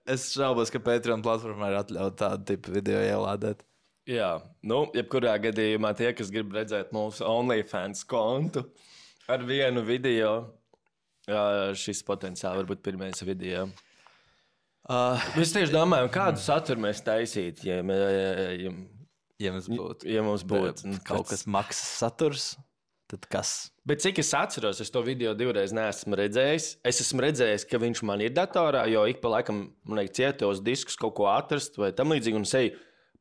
es šaubos, ka Patreon platformā ir atļaut tādu tipu video ielādēt. Jā, nu, jebkurā gadījumā tie, kas grib redzēt mūsu OnlyFans kontu ar vienu video, jā, šis potenciāli var būt pirmais video. Uh, mēs tieši domājam, kādu saturu mēs taisītu, ja, ja, ja, ja mums būtu, ja mums būtu kaut kas maksas saturs. Tad kas? Bet cik es atceros, es to video divreiz neesmu redzējis. Es esmu redzējis, ka viņš man ir datorā, jo ik pa laikam man liek cietos diskus kaut ko atrast vai tam līdzīgi un seju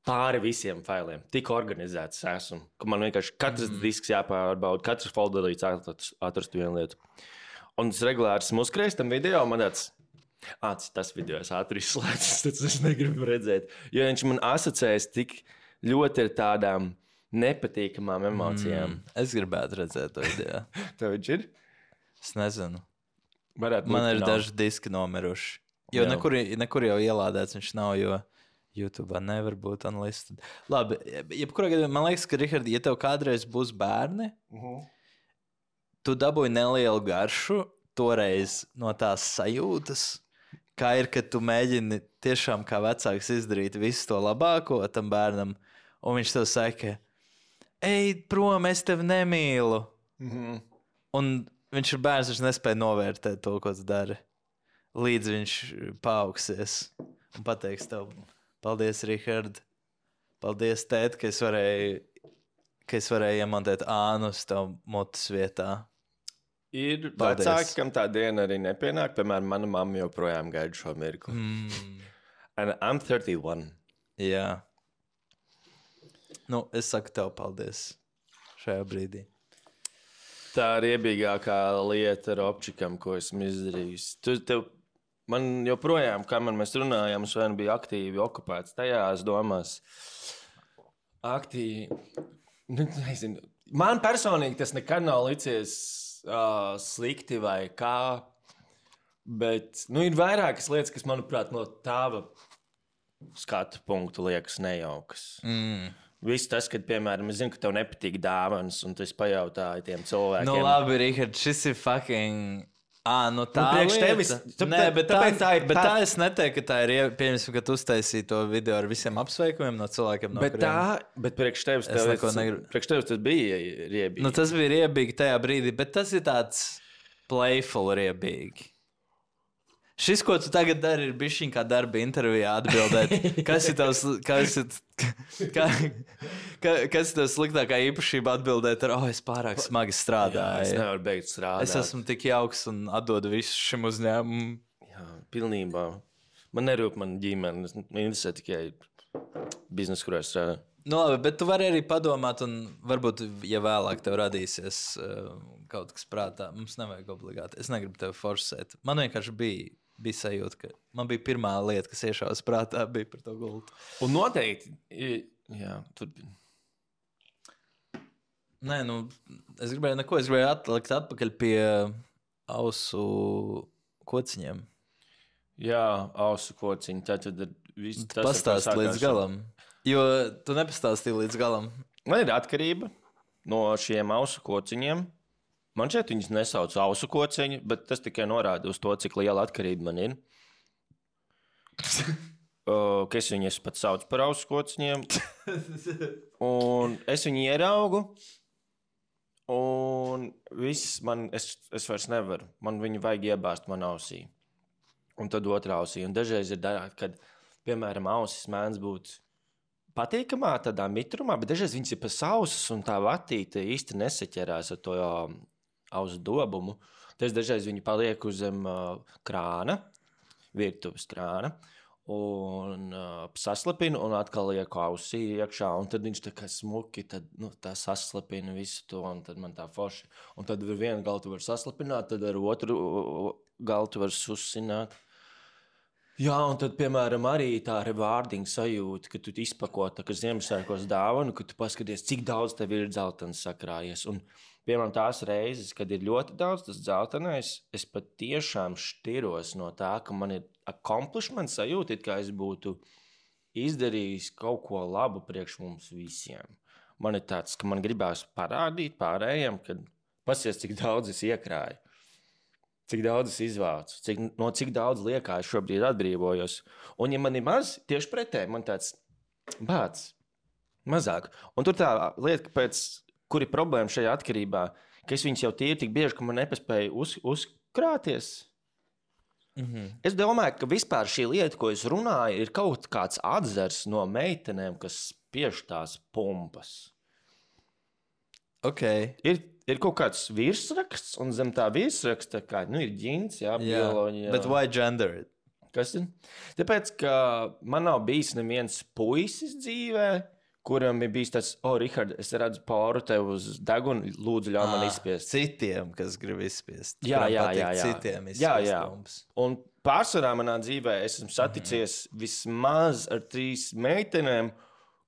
pāri visiem failiem. Tik organizēts esmu, ka man vienkārši katrs mm. disks jāpārbauda, katrs folderīts atrast, atrast vienu lietu. Un es regulāri esmu uzkrējis tam video, man tāds, āc, tas video es ātri izslēdzu, tad es negribu redzēt. Jo viņš man asociējas tik ļoti ar tādām nepatīkamām emocijām. Mm, es gribētu redzēt to video. Tev viņš ir? Es nezinu. Varētu Man ir nav. Daži diski nomiruši. Jo nekur, nekur jau ielādēts viņš nav, jo YouTube nevar būt unlisted. Labi, jebkurā gadījumā man liekas, ka, Richard, ja tev kādreiz būs bērni, uh-huh. tu dabūji nelielu garšu toreiz no tās sajūtas, kā ir, kad tu mēģini tiešām kā vecāks izdarīt visu to labāko tam bērnam, un viņš tev saka, ej prom, es tevi nemīlu. Mm-hmm. Un viņš ir bērns, viņš nespēja novērtēt to, ko tu dari. Līdz viņš paaugsies un pateiks tev, paldies, Richard. Paldies, tēt, ka es varēju, ka es varēju iemontēt ānus tev mutes vietā. Ir paldies. Vecāki, kam tā diena arī nepienāk. Piemēram, mana mamma joprojām gaida šo mirkli. Mm. And I'm thirty-one. Jā. Nu, es saku tev paldies šajā brīdī. Tā ir riebīgākā lieta ar opčikam, ko esmu izdarījis. Tu, tev, man joprojām, kamēr mēs runājām, es vien biju aktīvi okupēts tajās domās. Aktīvi. Nu, nezinu. Man personīgi tas nekad nav licies uh, slikti vai kā, bet nu, ir vairākas lietas, kas, manuprāt, no tāva skatu punktu liekas nejaukas. Mm. Viss tas, kad, piemēram, es zinu, ka tev nepatīk dāvanas, un tu esi pajautāji tiem cilvēkiem. Nu, labi, Richard, šis ir fucking... Ā, nu tā nu, lieta. Tevis, tu, Nē, bet, tā, tā ir, bet tā... tā es neteiktu, ka tā ir, pieņemsim, ka tu uztaisīji to video ar visiem apsveikumiem no cilvēkiem, no bet kuriem... Tā, bet priekš tevis, tevis, negribu... priekš tevis tas bija riebīgi. Nu, tas bija riebīgi tajā brīdī, bet tas ir tāds playful riebīgi. Šis, ko tu tagad dari, ir bišķiņ kā darba intervijā atbildēt. Kas ir tavs, kas ir, kā, ka, kas ir tavs sliktākā īpašība atbildēt ar, oh, es pārāk smagi strādāju. Jā, es nevaru beigt strādāt. Es esmu tik jauks un atdodu visu šim uzņēmumam. Jā, pilnībā. Man nerūp man ģimene. Man interesē tikai biznesa, kurā es strādāju. Nu, labi, bet tu vari arī padomāt, un varbūt, ja vēlāk tev radīsies uh, kaut kas prātā, mums nevajag obligāti. Es negribu tevi forsēt. Man vienkārši bija, bija sajūta, ka man bija pirmā lieta, kas iešāvas prātā, bija par to gultu. Un noteikti, jā, turpin. Nē, nu, es gribēju neko, es gribēju atlikt atpakaļ pie ausu kociņiem. Jā, ausu kociņi, tad tad viss tas pastāst līdz galam. Jo tu nepastāstīji līdz galam. Man ir atkarība no šiem ausu kociņiem. Man šeit viņas nesauc ausu kociņi, bet tas tikai norāda uz to, cik liela atkarība man ir. uh, ka es viņus pat saucu par auskociņiem. Un es viņu ieraugu. Un viss man, es, es vairs nevaru. Man viņu vajag iebāzt man ausī. Un tad otrā ausī. Un dažreiz ir darāt, kad, piemēram, ausis mēdz būt patīkamā tādā mitrumā, bet dažreiz viņas ir pa sausas un tā vatīte īsti nesaķerās ar to ausu dobumu. Tas dažreiz viņi paliek uz zem uh, krāna, virtuves krāna, un uh, saslapina un atkal liek ausī iekšā, un tad viņš tā kā smuki, tad, nu, tā saslapina visu to, un tad man tā forši. Un tad ar vienu galu tu var saslapināt, tad ar otru galu tu var susināt. Jā, un tad, piemēram, arī tā rewarding sajūta, ka tu izpako tā kā Ziemassvētkos dāvanu, ka tu paskaties, cik daudz tev ir dzeltenis sakrājies. Un, piemēram, tās reizes, kad ir ļoti daudz tas dzeltenais, es pat tiešām šķiros no tā, ka man ir accomplishment sajūta, it kā es būtu izdarījis kaut ko labu priekš mums visiem. Man ir tāds, ka man gribās parādīt pārējiem, kad pasies, cik daudz es iekrāju. Cik daudz es izvācu, cik, no cik daudz liekā es šobrīd atbrīvojos. Un, ja man ir maz, tieši pretēji, man tāds bāds, mazāk. Un tur tā lieta, pēc, kur ir problēma šajā atkarībā, ka es viņus jau tīri tik bieži, ka man nepaspēju uz, uzkrāties. Mm-hmm. Es domāju, ka vispār šī lieta, ko es runāju, ir kaut kāds atzars no meitenēm, kas spiež tās pumpas. Okay. Ir, ir kaut kāds virsraksts, un zem tā virsraksta kā, nu, ir ģints, jā, bioloģija. Bet why gender it? Kas ir? Tāpēc, ka man nav bijis neviens puisis dzīvē, kuram ir bijis tāds, o, oh, Rihard, es redzu poru tev uz degunu, lūdzu, ļauj man izspiest. Citiem, kas grib izspiest. Jā, jā, jā, jā. Citiem izspiest jā, jā. pumpas. Un pārsvarā manā dzīvē es esmu saticies mm-hmm. vismaz ar trīs meitenēm,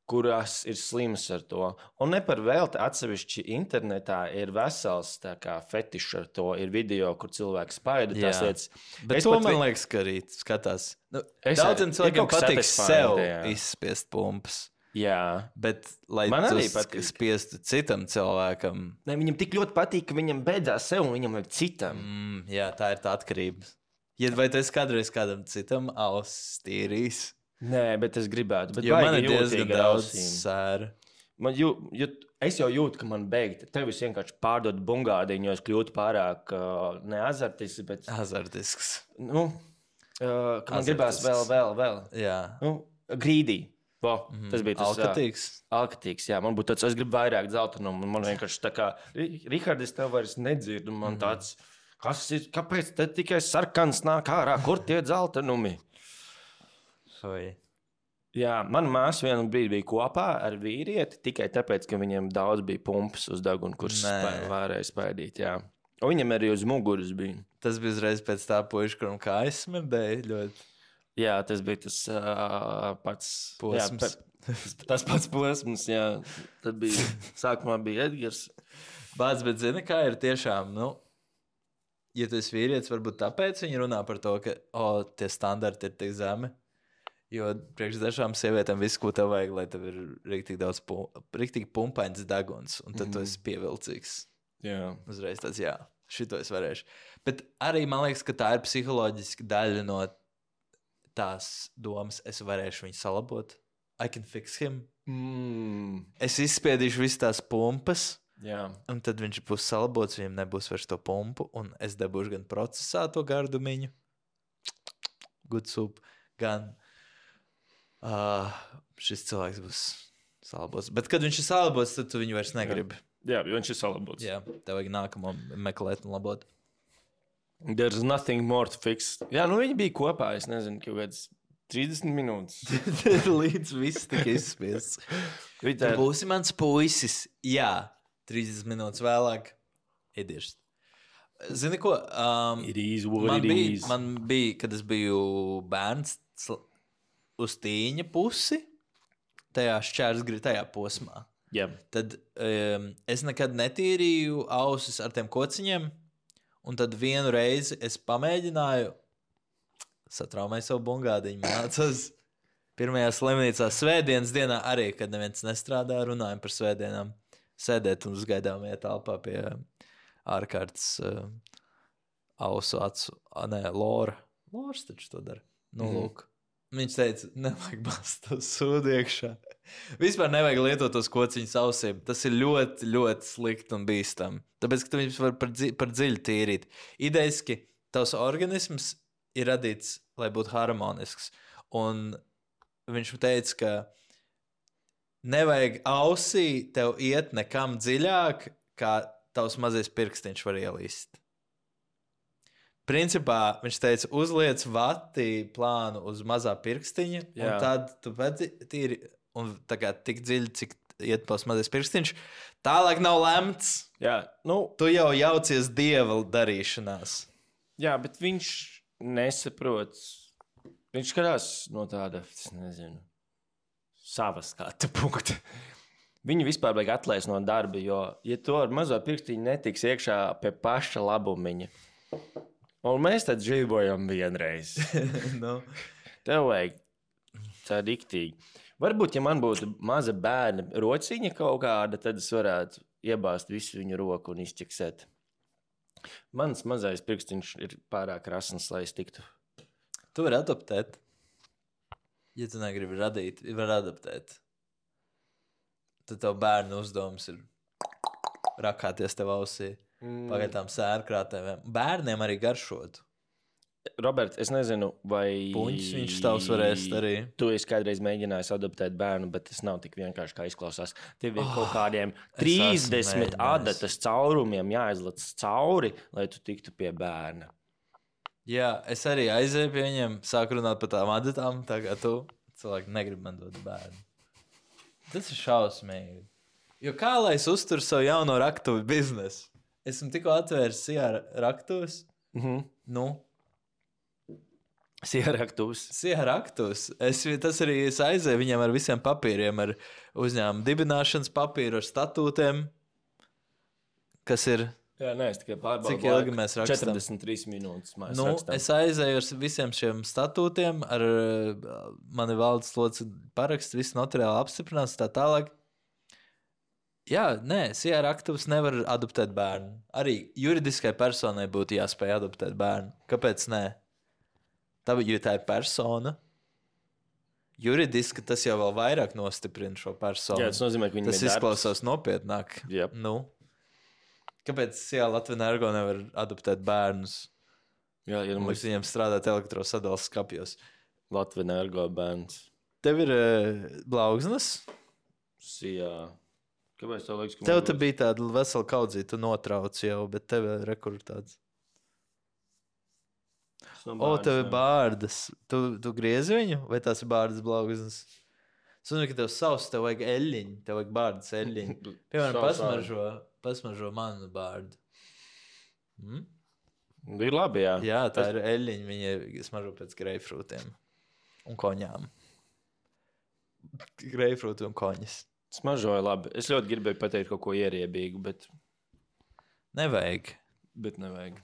kurās ir slimas ar to. Un ne par velti atsevišķi internetā ir vesels tā kā fetišs ar to. Ir video, kur cilvēki spaida tās lietas. Bet es to pat man vi... liekas, ka arī skatās. Nu, es, daudziem cilvēkiem patīk sev jā. izspiest pumpas. Jā. Bet, lai man tu patīk. spiestu citam cilvēkam... Ne, viņam tik ļoti patīk, ka viņam beidzās sev un viņam vajag citam. Mm, jā, tā ir tā atkarība. Ja, vai tu esi kādreiz kādam citam ausis tīrījis? Nē, bet es gribētu. Bet jo man ir diezgan daudz sēra. Man jū, jū, es jau jūtu, ka man beigta. Tev es vienkārši pārdodu bungādiņu, jo es kļūtu pārāk uh, ne azartisks, bet... Azartisks. Nu, uh, ka man gribās vēl, vēl, vēl. Jā. Nu, grīdī. Bo, mm-hmm. Tas bija tas... Alkatīgs. Uh, alkatīgs, jā. Man būtu tāds, es gribu vairāk dzeltenumu. Man vienkārši tā kā, Rihard, es tev vairs nedzirdu. Man mm-hmm. tāds, kas ir, kāpēc te tikai sarkans nāk ārā? Kur tie dzeltenumi? Oi. Jā, mana māsa vienu brīdi bija kopā ar vīrieti tikai tāpēc, ka viņam daudz bija pumpas uz deguna, kuras spē, varēja spēdīt. Jā. Un viņam arī uz muguras bija. Tas bija uzreiz pēc tā puiša, kuram kājas smirdēja ļoti. Jā, tas bija tas uh, pats posms. Jā, pe, tas pats posms, jā. Tad bija, sākumā bija Edgars. Bāc, bet zini, kā ir tiešām, nu, ja tu esi vīrietis, varbūt tāpēc viņi runā par to, ka, o, tie standarti ir tik zemi. Jo priekš dažām sievietēm viss, ko tev vajag, lai tev ir riktīgi daudz pum, riktīgi pumpains deguns, un tad mm. tu esi pievilcīgs. Jā. Uzreiz tāds, jā, šito es varēšu. Bet arī man liekas, ka tā ir psiholoģiski daļa no tās domas, es varēšu viņu salabot. I can fix him. Mm. Es izspiedīšu visas tās pumpas, jā. Un tad viņš būs salabots, viņam nebūs vairs to pumpu, un es dabūšu gan procesā to gardumiņu, good soup, gan... Uh, šis cilvēks būs salabots. Bet, kad viņš ir salabots, tad tu viņu vairs negribi. Jā, jo viņš ir salabots. Jā, tev vajag nākamo meklēt un labot. There's nothing more to fix. Jā, nu viņi bija kopā, es nezinu, kaut kāds trīsdesmit minūtes. Līdz viss tika izspiests. Tu būsi mans puisis. Jā, trīsdesmit minūtes vēlāk. Iediešs. Zini ko? Um, it is what man it bija, is. Man bija, kad es biju bērns, uz tīņa pusi, tajā šķērsgri, tajā posmā. Yep. Tad um, es nekad netīrīju ausis ar tiem kociņiem, un tad vienu reizi es pamēģināju, satraumēju savu bungādiņu, mācos pirmajā slimnīcā svētdienas dienā arī, kad neviens nestrādā, runājam par svētdienām, sēdēt un uzgaidāmajā telpā pie ārkārtas uh, ausu acu, a, nē, Lora. Lors taču to dara. Nu, mm-hmm. lūk. Viņš teica, nevajag bāzt to sūdu iekšā. Vispār nevajag lietot tos kociņus ausīm. Tas ir ļoti, ļoti slikti un bīstami. Tāpēc, ka tu viņus var par, dzi par dziļu tīrīt. Idejiski, tavs organisms ir radīts, lai būtu harmonisks. Un viņš teica, ka nevajag ausī tev iet nekam dziļāk, kā tavs mazais pirkstiņš var ielīst. Principā viņš teica, uzliec vati plānu uz mazā pirkstiņa, Jā. un tad tu pēc tīri, un tā kā tik dziļi, cik iet pals mazais pirkstiņš, tālāk nav lemts. Jā, nu. Tu jau jaucies dieva darīšanās. Jā, bet viņš nesaprot. Viņš skatās no tāda, es nezinu, savas skatu punkta. Viņu vispār vajag atlaist no darba, jo, ja to ar mazo pirkstiņu netiks iekšā pie paša labumiņa, un mēs tad dzīvojam vienreiz. no. Tev vajag tā diktīgi. Varbūt, ja man būtu maza bērna rociņa kaut kāda, tad es varētu iebāzt visu viņu roku un izķeksēt. Mans mazais pirkstiņš ir pārāk rasns, lai es tiktu. Tu vari adaptēt. Ja tu negribi radīt, var adaptēt. Tad tev bērnu uzdevums ir rakāties tev ausī. Mm. Pagaidām sērkrātēm. Bērniem arī garšot. Robert, es nezinu, vai... Puņķis viņš tavs varēs arī. Tu esi kādreiz mēģinājis adoptēt bērnu, bet tas nav tik vienkārši, kā izklausās. Tev ir Oh, kaut kādiem es trīsdesmit esmu adatas caurumiem jāizlec cauri, lai tu tiktu pie bērna. Jā, es arī aizēju pie viņiem, sāku runāt par tām adatām, tā kā tu. Cilvēki negrib man dot bērnu. Tas ir šausmīgi. Jo kā lai es uzturu savu jauno raktuvi biznesu? Esmu tikko atvērs sijā raktuves. Mhm. Nu, Sieraktus. sijā raktuves. Es, tas arī es aizēju viņiem ar visiem papīriem, ar uzņēmumu dibināšanas papīru, ar statūtiem, kas ir... Jā, nē, es tikai pārbaudu. Cik ilgi mēs rakstam? četrdesmit trīs minūtes mēs Nu, rakstam. es aizēju ar visiem šiem statūtiem, ar uh, mani valdes locekļu parakstu, visu notariāli apstiprināts, tā tālāk. Jā, nē, sijā raktuves nevar adoptēt bērnu. Arī juridiskai personai būtu jāspēj adoptēt bērnu. Kāpēc nē? Tā, jo tā ir persona. Juridiski tas jau vēl vairāk nostiprina šo personu. Jā, tas nozīmē, ka viņam Tas ir darbs. izklausās nopietnāk. Jep. Nu. Kāpēc sijā Latvijas Energo nevar adoptēt bērnus? Jā, ja Mums mums viņiem strādāt elektrosadales skapjos. Latvijas Energo bērns. Tev ir uh, blaugsnes? Sijā. Kāpēc tev liekas, ka... Tev man te būs- bija tāda vesela kaudzīta, tu notrauc jau, bet tev ir rekur tāds. Tas nav O, bērns, tev ir jā. bārdas. Tu, tu griezi viņu, vai tās ir bārdas blaugsnes? Es domāju, ka tev savs, tev vajag eļļiņu, tev vajag bārdas eļļiņu. Piemēram, Savu pasmaržo, pasmaržo manu bārdu. Mm? Bija labi, jā. Jā, tā ir eļļiņa, viņa smaržo pēc greifrūtiem un koņām. Greifrūti un koņas. Smaržoja labi. Es ļoti gribēju pateikt kaut ko ieriebīgu, bet, Nevajag. bet nevajag.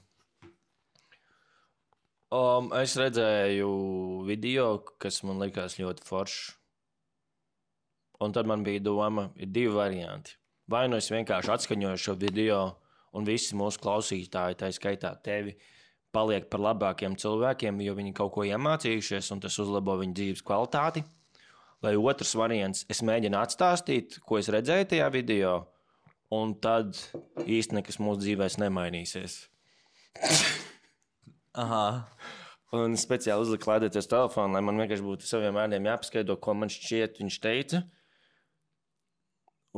Um, es redzēju video, kas man likās ļoti foršs. Un tad man bija doma, ir divi varianti. Vai nu es vienkārši atskaņoju šo video, un visi mūsu klausītāji, tā skaitā tevi, paliek par labākiem cilvēkiem, jo viņi kaut ko iemācījušies, un tas uzlabo viņu dzīves kvalitāti. Vai otrs variants, es mēģinu atstāstīt, ko es redzēju tajā video, un tad īsti nekas mūsu dzīvēs nemainīsies. Aha. Un speciāli uzliku lādēties telefonu, lai man vienkārši būtu saviem vārdiem jāpaskaidro, ko man šķiet viņš teica.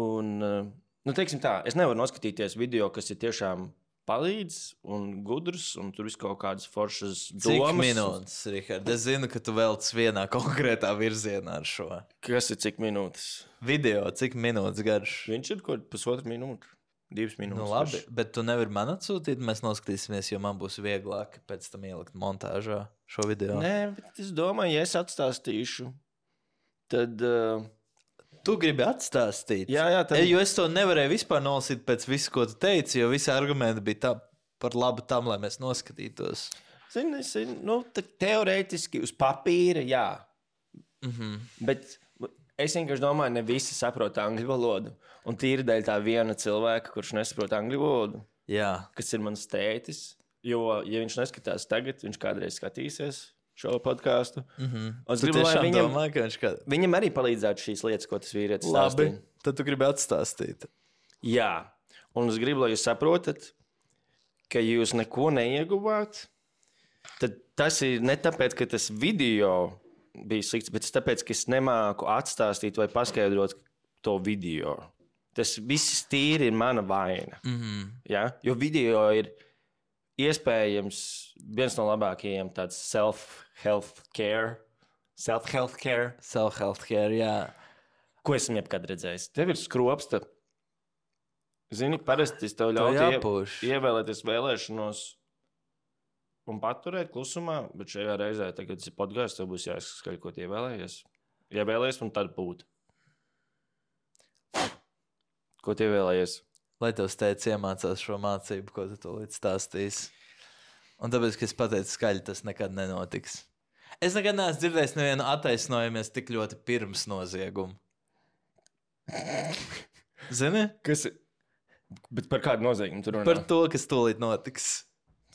Un, nu, teiksim tā, es nevaru noskatīties video, kas ir tiešām palīdz un gudrs, un tur viss kaut kādas foršas domas. Cik minūtes, Rihard? Es zinu, ka tu velc vienā konkrētā virzienā ar šo Kas ir cik minūtes? video. Cik minūtes garš? Viņš ir kaut pusotru minūtu, divas minūtes. Nu, labi, bet tu nevari man atsūtīt, mēs noskatīsimies, jo man būs vieglāk pēc tam ielikt montāžā šo video. Nē, bet es domāju, ja es atstāstīšu, tad... Uh, Tu gribi atstāstīt? jā, jā, tad... E, jo es to nevarēju vispār nolasīt pēc visu, ko tu teici, jo visi argumenti bija tā, par labu tam, lai mēs noskatītos. Zini, es, nu, teorētiski uz papīra, jā. Mhm. Bet es vienkārši domāju, ne visi saprot angļu valodu. Un tīri dēļ tā viena cilvēka, kurš nesaprot angļu valodu, Jā. kas ir mans tētis. Jo, ja viņš neskatās tagad, viņš kādreiz skatīsies. šo podkāstu. Mm -hmm. Es Tu gribu, lai tiešām viņam, domā, ka viņš kā... viņam arī palīdzētu šīs lietas, ko tas vīrietis Labi, stāstīja. tad tu gribi atstāstīt. Jā, un es gribu, lai jūs saprotat, ka jūs neko neieguvāt. Tad tas ir ne tāpēc, ka tas video bija slikts, bet tāpēc, ka es nemāku atstāstīt vai paskaidrot to video. Tas viss tīri ir mana vaina. Mm -hmm. Ja? Jo video ir iespējams viens no labākajiem tāds self-health care, self-health care, Self-health care, jā. ko esmu jebkad redzējis. Tev ir skropsta. Zini, parasti es tev To ļautu jāpuš. ie, ievēlēties vēlēšanos un paturēt klusumā, bet šajā reizē, tagad tas ir podkāsts, tev būs jāizskaļ, ko tie vēlējies. Ievēlējies un tad būt. Ko tie vēlējies? Lai tavs teicis iemācās šo mācību, ko tu to līdz stāstīsi. Un tāpēc, ka es pateicu skaļi, tas nekad nenotiks. Es nekad neesmu dzirdējis nevienu attaisnojumies tik ļoti pirms nozieguma. Zini? Kas ir? Bet par kādu noziegumu tu runā? Par to, kas tūlīt notiks.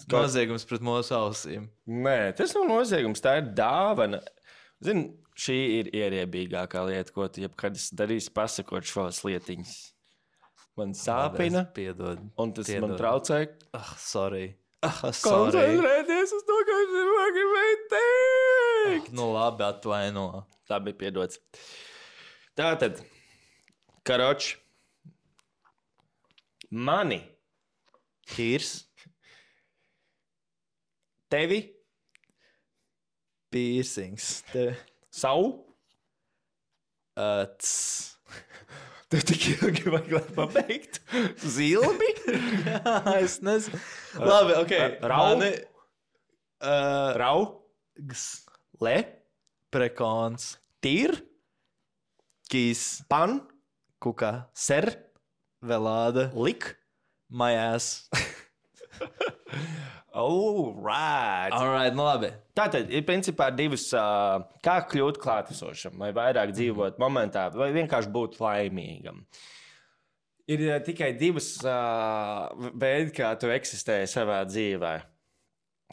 Kā- Noziegums pret mūsu ausīm. Nē, tas nav noziegums, tā ir dāvana. Zini, šī ir ierēbīgākā lieta, ko tu jebkad esi darījis, pasakot šos lietiņas. Man sāpina, Piedod. un tas Piedod. man traucē. Ah, sorry. Ah, sorry. Koncentrēties uz to, ko es gribēju teikt. Ah, nu labi, atvaino. Tā bija piedots. Tā tad, karoči, mani, Kīrs. tevi, Piercings. Te... savu, Uh, ts. tev tik ilgi vajag, lai pabeigtu. Zilbi, Jā, es nezinu. Labi, ok. Rau? Mani, uh, rau, gs. le, Prekons. tīr, Kīs. pan, Kukā. ser, Velāda. lik. Majās. All right. Alright, nu labi. Tātad ir principā divas, uh, kā kļūt klātesošam, vai vairāk dzīvot momentā, vai vienkārši būt laimīgam. Ir uh, tikai divas uh, veidi, kā tu eksistē savā dzīvē.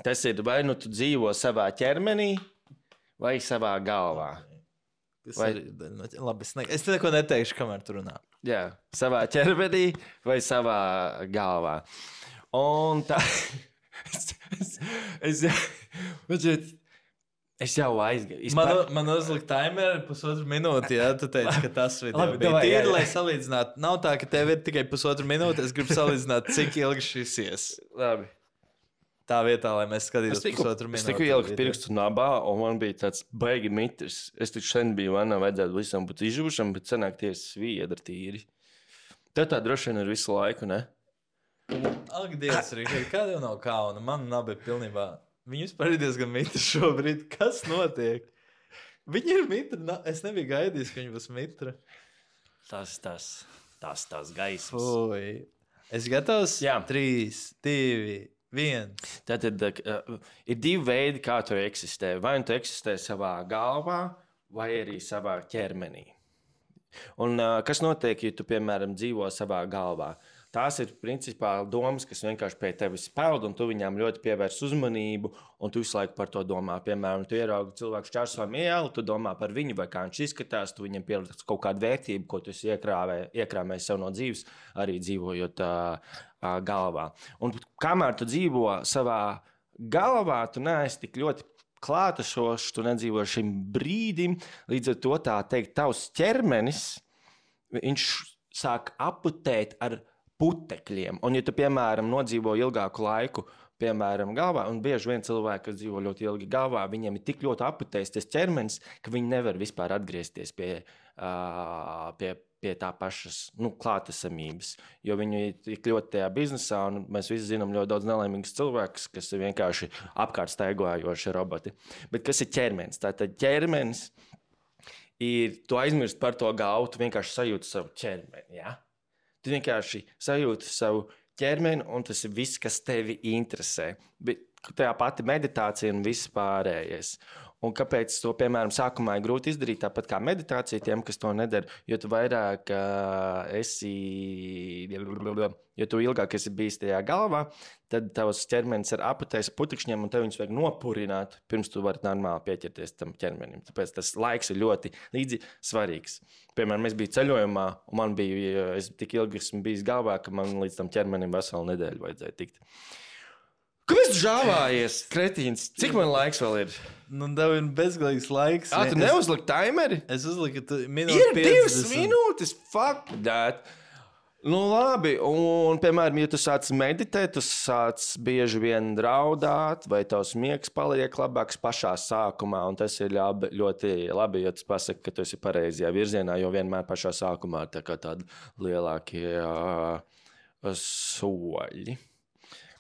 Tas ir vai nu tu dzīvo savā ķermenī, vai savā galvā. Tas Vai- arī, nu, labi, es, ne, es te neko neteikšu, kamēr tu runā. Jā, savā ķermenī vai savā galvā. Un tā. es, es, es, es, es jau aizgāju. Man, man uzlika timer pusotru minūti, ja tu teici, ka tas video Labi, bija davai, jā, tīri, jā. lai salīdzinātu. Nav tā, ka tev ir tikai pusotru minūti, es gribu salīdzināt, cik ilgi šis ies. Labi. Tā vietā, lai mēs Es skatītos tiku, pusotru es minūti. tiku ielikt pirkstu nabā, un man bija tāds baigi mitrs. Es taču sen biju vanā, vajadzētu visam būt izžuvušam, bet senāk tie sviedri tīri. Tev tā droši vien ir visu laiku, ne? Ak, Dievs, Rīgā, kāda jau nav kauna? Man nabi pilnībā. Viņi vispār ir diezgan mitri šobrīd. Kas notiek? Viņi ir mitri. Na, es nebiju gaidījis, ka viņi būs mitri. Tas, tas, tas, tas gaismas. Fui. Es gatavs? Jā. Trīs, divi, viens. Tātad uh, ir divi veidi, kā tu eksistē. Vai nu tu eksistē savā galvā, vai arī savā ķermenī. Un, uh, kas notiek, ja tu, piemēram, dzīvo savā galvā? Tās ir principā domas, kas vienkārši pie tevis peld, un tu viņām ļoti pievērs uzmanību, un tu visu laiku par to domā. Piemēram, tu ieraugi cilvēku čārsojam ielu, tu domā par viņu, vai kā viņš izskatās, tu viņam pieliec kaut kādu vērtību, ko tu esi iekrāvē, iekrāmējis sev no dzīves, arī dzīvojot uh, uh, galvā. Un kamēr tu dzīvo savā galvā, tu neesi tik ļoti klātesošs, tu nedzīvo šim brīdim, līdz ar to tā teikt, tavs ķermenis, viņš sāk aputēt ar putekļiem. Un, ja tu, piemēram, nodzīvo ilgāku laiku, piemēram, galvā, un bieži vien cilvēki, kas dzīvo ļoti ilgi galvā, viņiem ir tik ļoti aputējis tas ķermenis, ka viņi nevar vispār atgriezties pie, uh, pie, pie tā pašas nu, klātesamības. Jo viņi ir tik ļoti tajā biznesā, un mēs visi zinām ļoti daudz nelaimīgus cilvēkus, kas ir vienkārši apkārt staigājoši roboti. Bet kas ir ķermenis? Tātad ķermenis ir, tu aizmirst par to galvu, tu vienkārši sajūti savu ķermeni, ja? Tu vienkārši sajūti savu ķermeni, un tas ir viss, kas tevi interesē. Bet tā pati meditācija un viss pārējais. Un kāpēc to, piemēram, sākumā ir grūti izdarīt, tāpat kā meditācija tiem, kas to nedara, jo tu vairāk uh, esi, jo tu ilgāk esi bijis tajā galvā, tad tavs ķermenis ir aputējis putekšņiem, un tev viņus vajag nopurināt, pirms tu vari normāli pieķerties tam ķermenim. Tāpēc tas laiks ir ļoti līdzi svarīgs. Piemēram, es biju ceļojumā, un man bija, es tik ilgi esmu bijis galvā, ka man līdz tam ķermenim veselu nedēļu vajadzēja tikt. Kāpēc tu žāvājies, kretīns? Cik man laiks vēl ir? Nu, tev ir bezgalīgs laiks. Ā, tu neuzliki taimeri? Es uzliku, ka tu minūtes Ir divas minūtes, fuck that. Nu, labi, un, piemēram, ja tu sāc meditēt, tu sāc bieži vien draudāt, vai tavs miegs paliek labāks pašā sākumā, un tas ir labi, ļoti labi, ja tu pasaki, ka tu esi pareizajā virzienā, jo vienmēr pašā sākumā tā kā tādi lielākie uh, soļi.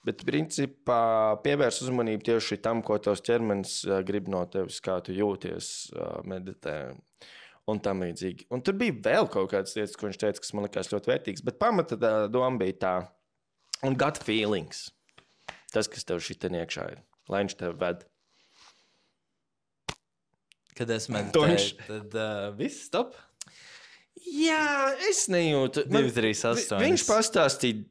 Bet, principā, pievērs uzmanību tieši tam, ko tavs ķermenis uh, grib no tevis, kā tu jūties, uh, meditē un tam līdzīgi. Un tur bija vēl kaut kādas lietas, ko viņš teica, kas man likās ļoti vērtīgs, bet pamata tā doma bija tā. Un gut feelings. Tas, kas tev šitien iekšā ir. Lai viņš tev ved. Kad es meditēju, tad uh, viss stop? Jā, es nejūtu. divi, trīs, astoņi. Viņš pastāstīja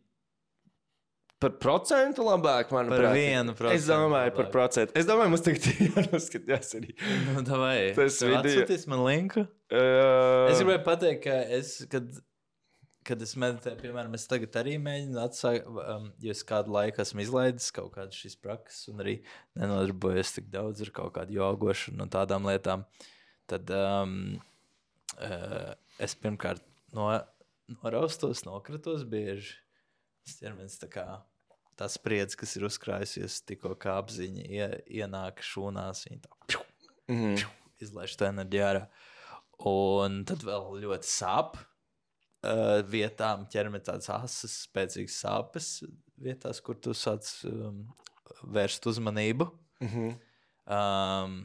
par procentu labāk, manuprāt. Par vienu procentu. Es domāju par labāk. procentu. Es domāju, mums tagad jānoskatās arī. Nu, davai. Tas Tev video. atsūtīs man linku? Uh, Es gribēju pateikt, ka es, kad, kad es meditēju, piemēram, es tagad arī mēģinu atsākt, um, jo es kādu laiku esmu izlaidis kaut kādas šīs prakses un arī nenodarbojos tik daudz ar kaut kādu jogošanu un tādām lietām. Tad um, uh, es pirmkārt no, noraustos, nokritos bieži. Tas ķermenis tā kā tā spriedze, kas ir uzkrājusies, tikko kā apziņa ie, ienāk šūnās, viņa tā pju, mm-hmm. pju, izlaiž to enerģiju ārā. Un tad vēl ļoti sāp uh, vietām, ķermenis tādas asas, spēcīgas sāpes vietās, kur tu sāc um, vērst uzmanību. Mm-hmm. Um,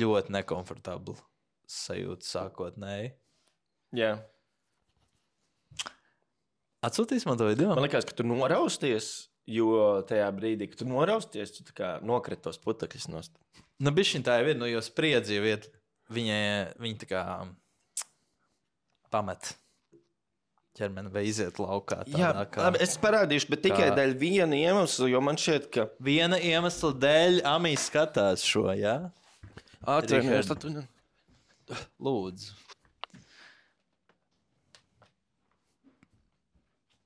ļoti nekomfortabli sajūta sākotnēji. Jā. Yeah. Atsūtīs man to video? Man liekas, ka tu norausties, jo tajā brīdī, kad tu norausties, tu tā kā nokriti tos putekļus nost. Nu, bišķiņ tā jau ir, nu, jo spriedzi jau iet, viņa, viņa tā kā pamet ķermeni vai iziet laukā tādā Jā, kā... labi, es parādīšu, bet tikai kā- dēļ viena iemesla, jo man šķiet, ka... Viena iemesla dēļ Amī skatās šo, jā? Atvainojies, Richard. tad tu... Lūdzu.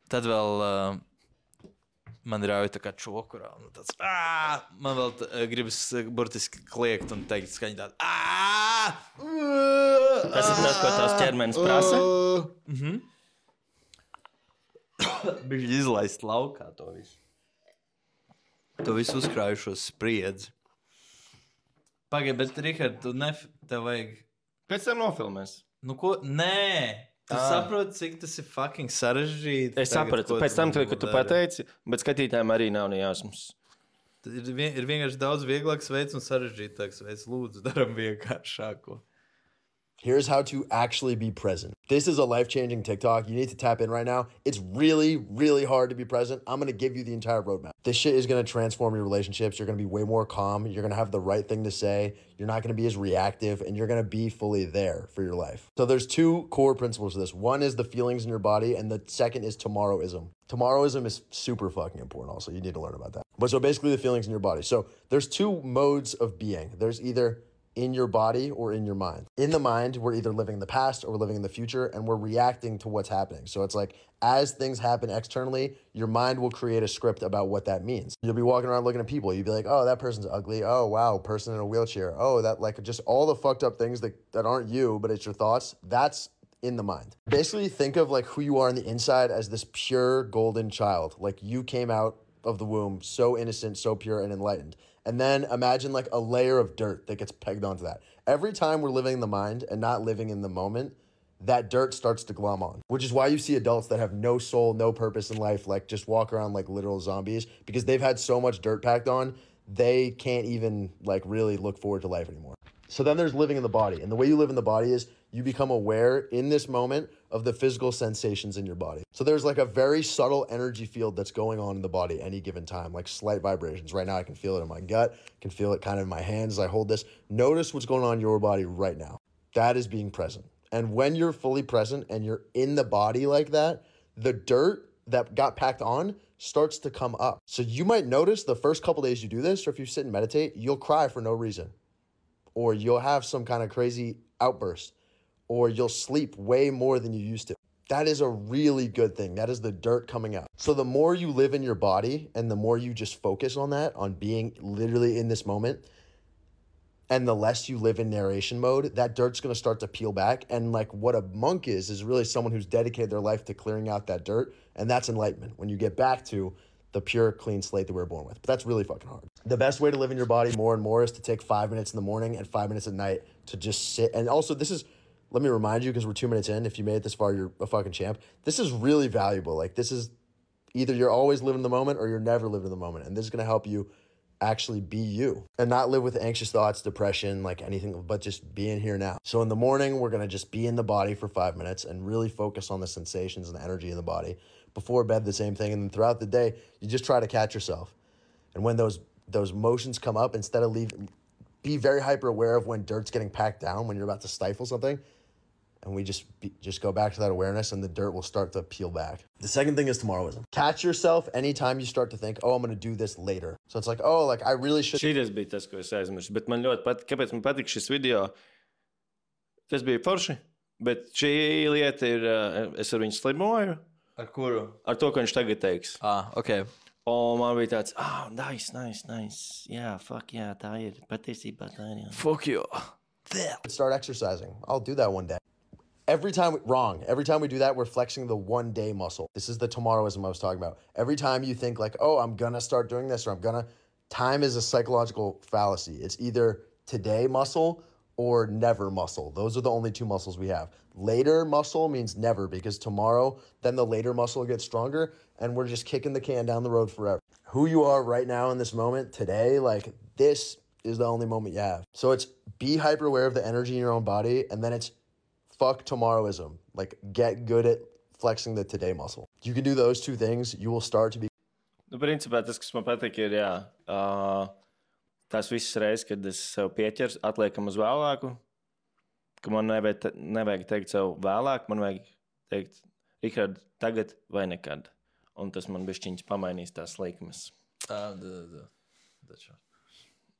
Tad vēl uh, man rauj tā kā čokurā. Un tāds, ā! Man vēl t, uh, gribas uh, burtiski kliegt un teikt skaņi tādu. ā! Tas ir tas, ko tavs ķermenis prasa? Mhm. Bija izlaist laukā to visu. To visu uzkrājušos spriedzi. Pagaid, bet, Rihard, tu nef... Tev vajag... Pēc tam nofilmēs. Nu ko? Nē! Tu Ā. saproti, cik tas ir fucking sarežģīti. Es sapratu, pēc tam, kad tu pateici, bet skatītājiem arī nav nejausmas. Ir, vien, ir vienkārši daudz vieglāks veids un sarežģītāks veids. Lūdzu, daram vienkāršāko. Here's how to actually be present. This is a life-changing TikTok. You need to tap in right now. It's really, really hard to be present. I'm going to give you the entire roadmap. This shit is going to transform your relationships. You're going to be way more calm. You're going to have the right thing to say. You're not going to be as reactive, and you're going to be fully there for your life. So there's two core principles to this. One is the feelings in your body, and the second is tomorrowism. Tomorrowism is super fucking important also. You need to learn about that. But so basically the feelings in your body. So there's two modes of being. There's either in your body or in your mind. In the mind, we're either living in the past or we're living in the future, and we're reacting to what's happening. So it's like, as things happen externally, your mind will create a script about what that means. You'll be walking around looking at people. You'll be like, oh, that person's ugly. Oh, wow, person in a wheelchair. Oh, that like just all the fucked up things that, that aren't you, but it's your thoughts. That's in the mind. Basically, think of like who you are on the inside as this pure golden child. Like you came out of the womb so innocent, so pure and enlightened. And then imagine like a layer of dirt that gets pegged onto that. Every time we're living in the mind and not living in the moment, that dirt starts to glom on, which is why you see adults that have no soul, no purpose in life, like just walk around like literal zombies because they've had so much dirt packed on, they can't even like really look forward to life anymore. So then there's living in the body. And the way you live in the body is you become aware in this moment of the physical sensations in your body. So there's like a very subtle energy field that's going on in the body any given time, like slight vibrations. Right now I can feel it in my gut, I can feel it kind of in my hands as I hold this. Notice what's going on in your body right now. That is being present. And when you're fully present and you're in the body like that, the dirt that got packed on starts to come up. So you might notice the first couple days you do this, or if you sit and meditate, you'll cry for no reason. Or you'll have some kind of crazy outburst, or you'll sleep way more than you used to. That is a really good thing. That is the dirt coming out. So the more you live in your body and the more you just focus on that, on being literally in this moment, and the less you live in narration mode, that dirt's gonna start to peel back. And like what a monk is, is really someone who's dedicated their life to clearing out that dirt. And that's enlightenment. When you get back to the pure, clean slate that we were born with. But that's really fucking hard. The best way to live in your body more and more is to take five minutes in the morning and five minutes at night to just sit. And also this is, let me remind you, because we're two minutes in, if you made it this far, you're a fucking champ. This is really valuable. Like this is either you're always living the moment or you're never living in the moment. And this is going to help you actually be you and not live with anxious thoughts, depression, like anything, but just being here now. So in the morning, we're going to just be in the body for five minutes and really focus on the sensations and the energy in the body. Before bed, the same thing. And then throughout the day, you just try to catch yourself. And when those those motions come up, instead of leave, be very hyper aware of when dirt's getting packed down, when you're about to stifle something. And we just be, just go back to that awareness and the dirt will start to peel back. The second thing is tomorrowism. Catch yourself anytime you start to think, oh, I'm going to do this later. So it's like, oh, like I really should. Šīs bija tas, ko es aizmirsu. Bet man ļoti patīk, kāpēc man patīk šis video. Tas bija forši, bet šī lieta ir, es ar viņu slimoju. Ar kuru? Ar to, ko viņš tagad teiks. Ah, ok. Un man bija tāds, ah, oh, nice, nice, nice. Jā, fuck, jā, tā ir. Patiesībā tā ir, jā. Fuck you. Start exercising. I'll do that one day. Every time, we, wrong. Every time we do that, we're flexing the one day muscle. This is the tomorrowism I was talking about. Every time you think like, oh, I'm going to start doing this or I'm going to, time is a psychological fallacy. It's either today muscle or never muscle. Those are the only two muscles we have. Later muscle means never because tomorrow, then the later muscle gets stronger and we're just kicking the can down the road forever. Who you are right now in this moment, today, like this is the only moment you have. So it's be hyper aware of the energy in your own body and then it's fuck tomorrowism. Like get good at flexing the today muscle. You can do those two things, you will start to be. Nu, principā tas, kas man patīk, ir, jā, uh, tās visas reizes, kad es sev pieķers, atliekam uz vēlāku, ka man nevajag, te, nevajag teikt sev vēlāk, man vajag teikt, Rihard, tagad vai nekad. Un tas man bišķiņas pamainīs tās likmes. Ah, da, da, da. That's right.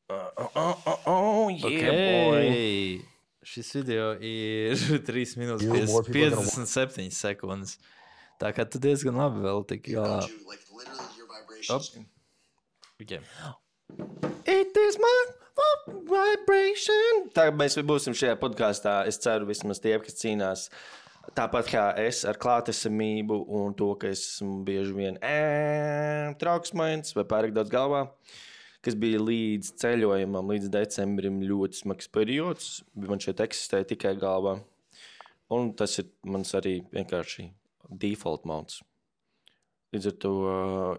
Uh, oh, oh, oh, oh, yeah, okay. Boy. Šis video ir trīs minūtes piecdesmit septiņas sekundes. Tā kā tu diezgan labi vēl tik galā. Op. Okay. It is my vibration. Tā mēs būsim šajā podkāstā, es ceru vismaz tie, kas cīnās tāpat kā es ar klātesamību un to, ka esmu bieži vien ē, trauksmains vai pārāk daudz galvā, kas bija līdz ceļojumam, līdz decembrim ļoti smags periods, man šeit eksistēja tikai galvā. Un tas ir mans arī vienkārši default mods. Līdz ar to,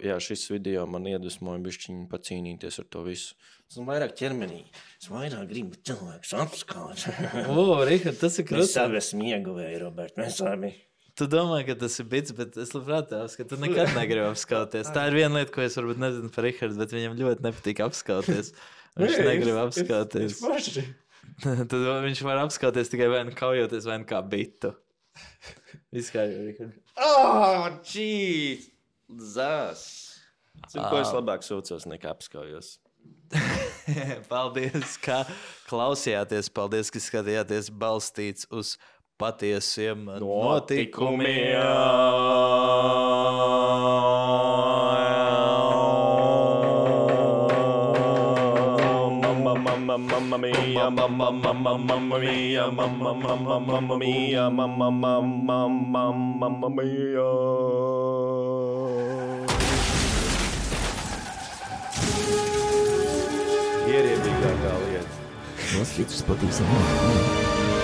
jā, šis video man iedvesmoja bišķiņi pacīnīties ar to visu. Es vairāk ķermenī, es vairāk gribu cilvēkus apskāt. O, Rihard, tas ir krūti. Mēs abi esam ieguvēji, Robert, mēs abi. Tu domā, ka tas ir bits, bet es labprāt tās, ka tu nekad negribi apskauties. Tā ir viena lieta, ko es varbūt nezinu par Rihardu, bet viņam ļoti nepatīk apskauties. Viņš negrib apskauties. Tad viņš var apskauties tikai vai nu kaujoties, vai nu kā bitu. Viss kā jau, Rihard. Oh, jeez! Zās. Zinu, ko es labāk sūcos nekā apskaujos. Paldies, ka klausījāties. Paldies, ka skatījāties balstīts uz patiesiem notikumiem. Mamma mia, mamma mamma mamma mia, mamma mamma mamma mia, mamma mamma mamma mia. Ierēbīgākā lieta. Noskatās patīsim.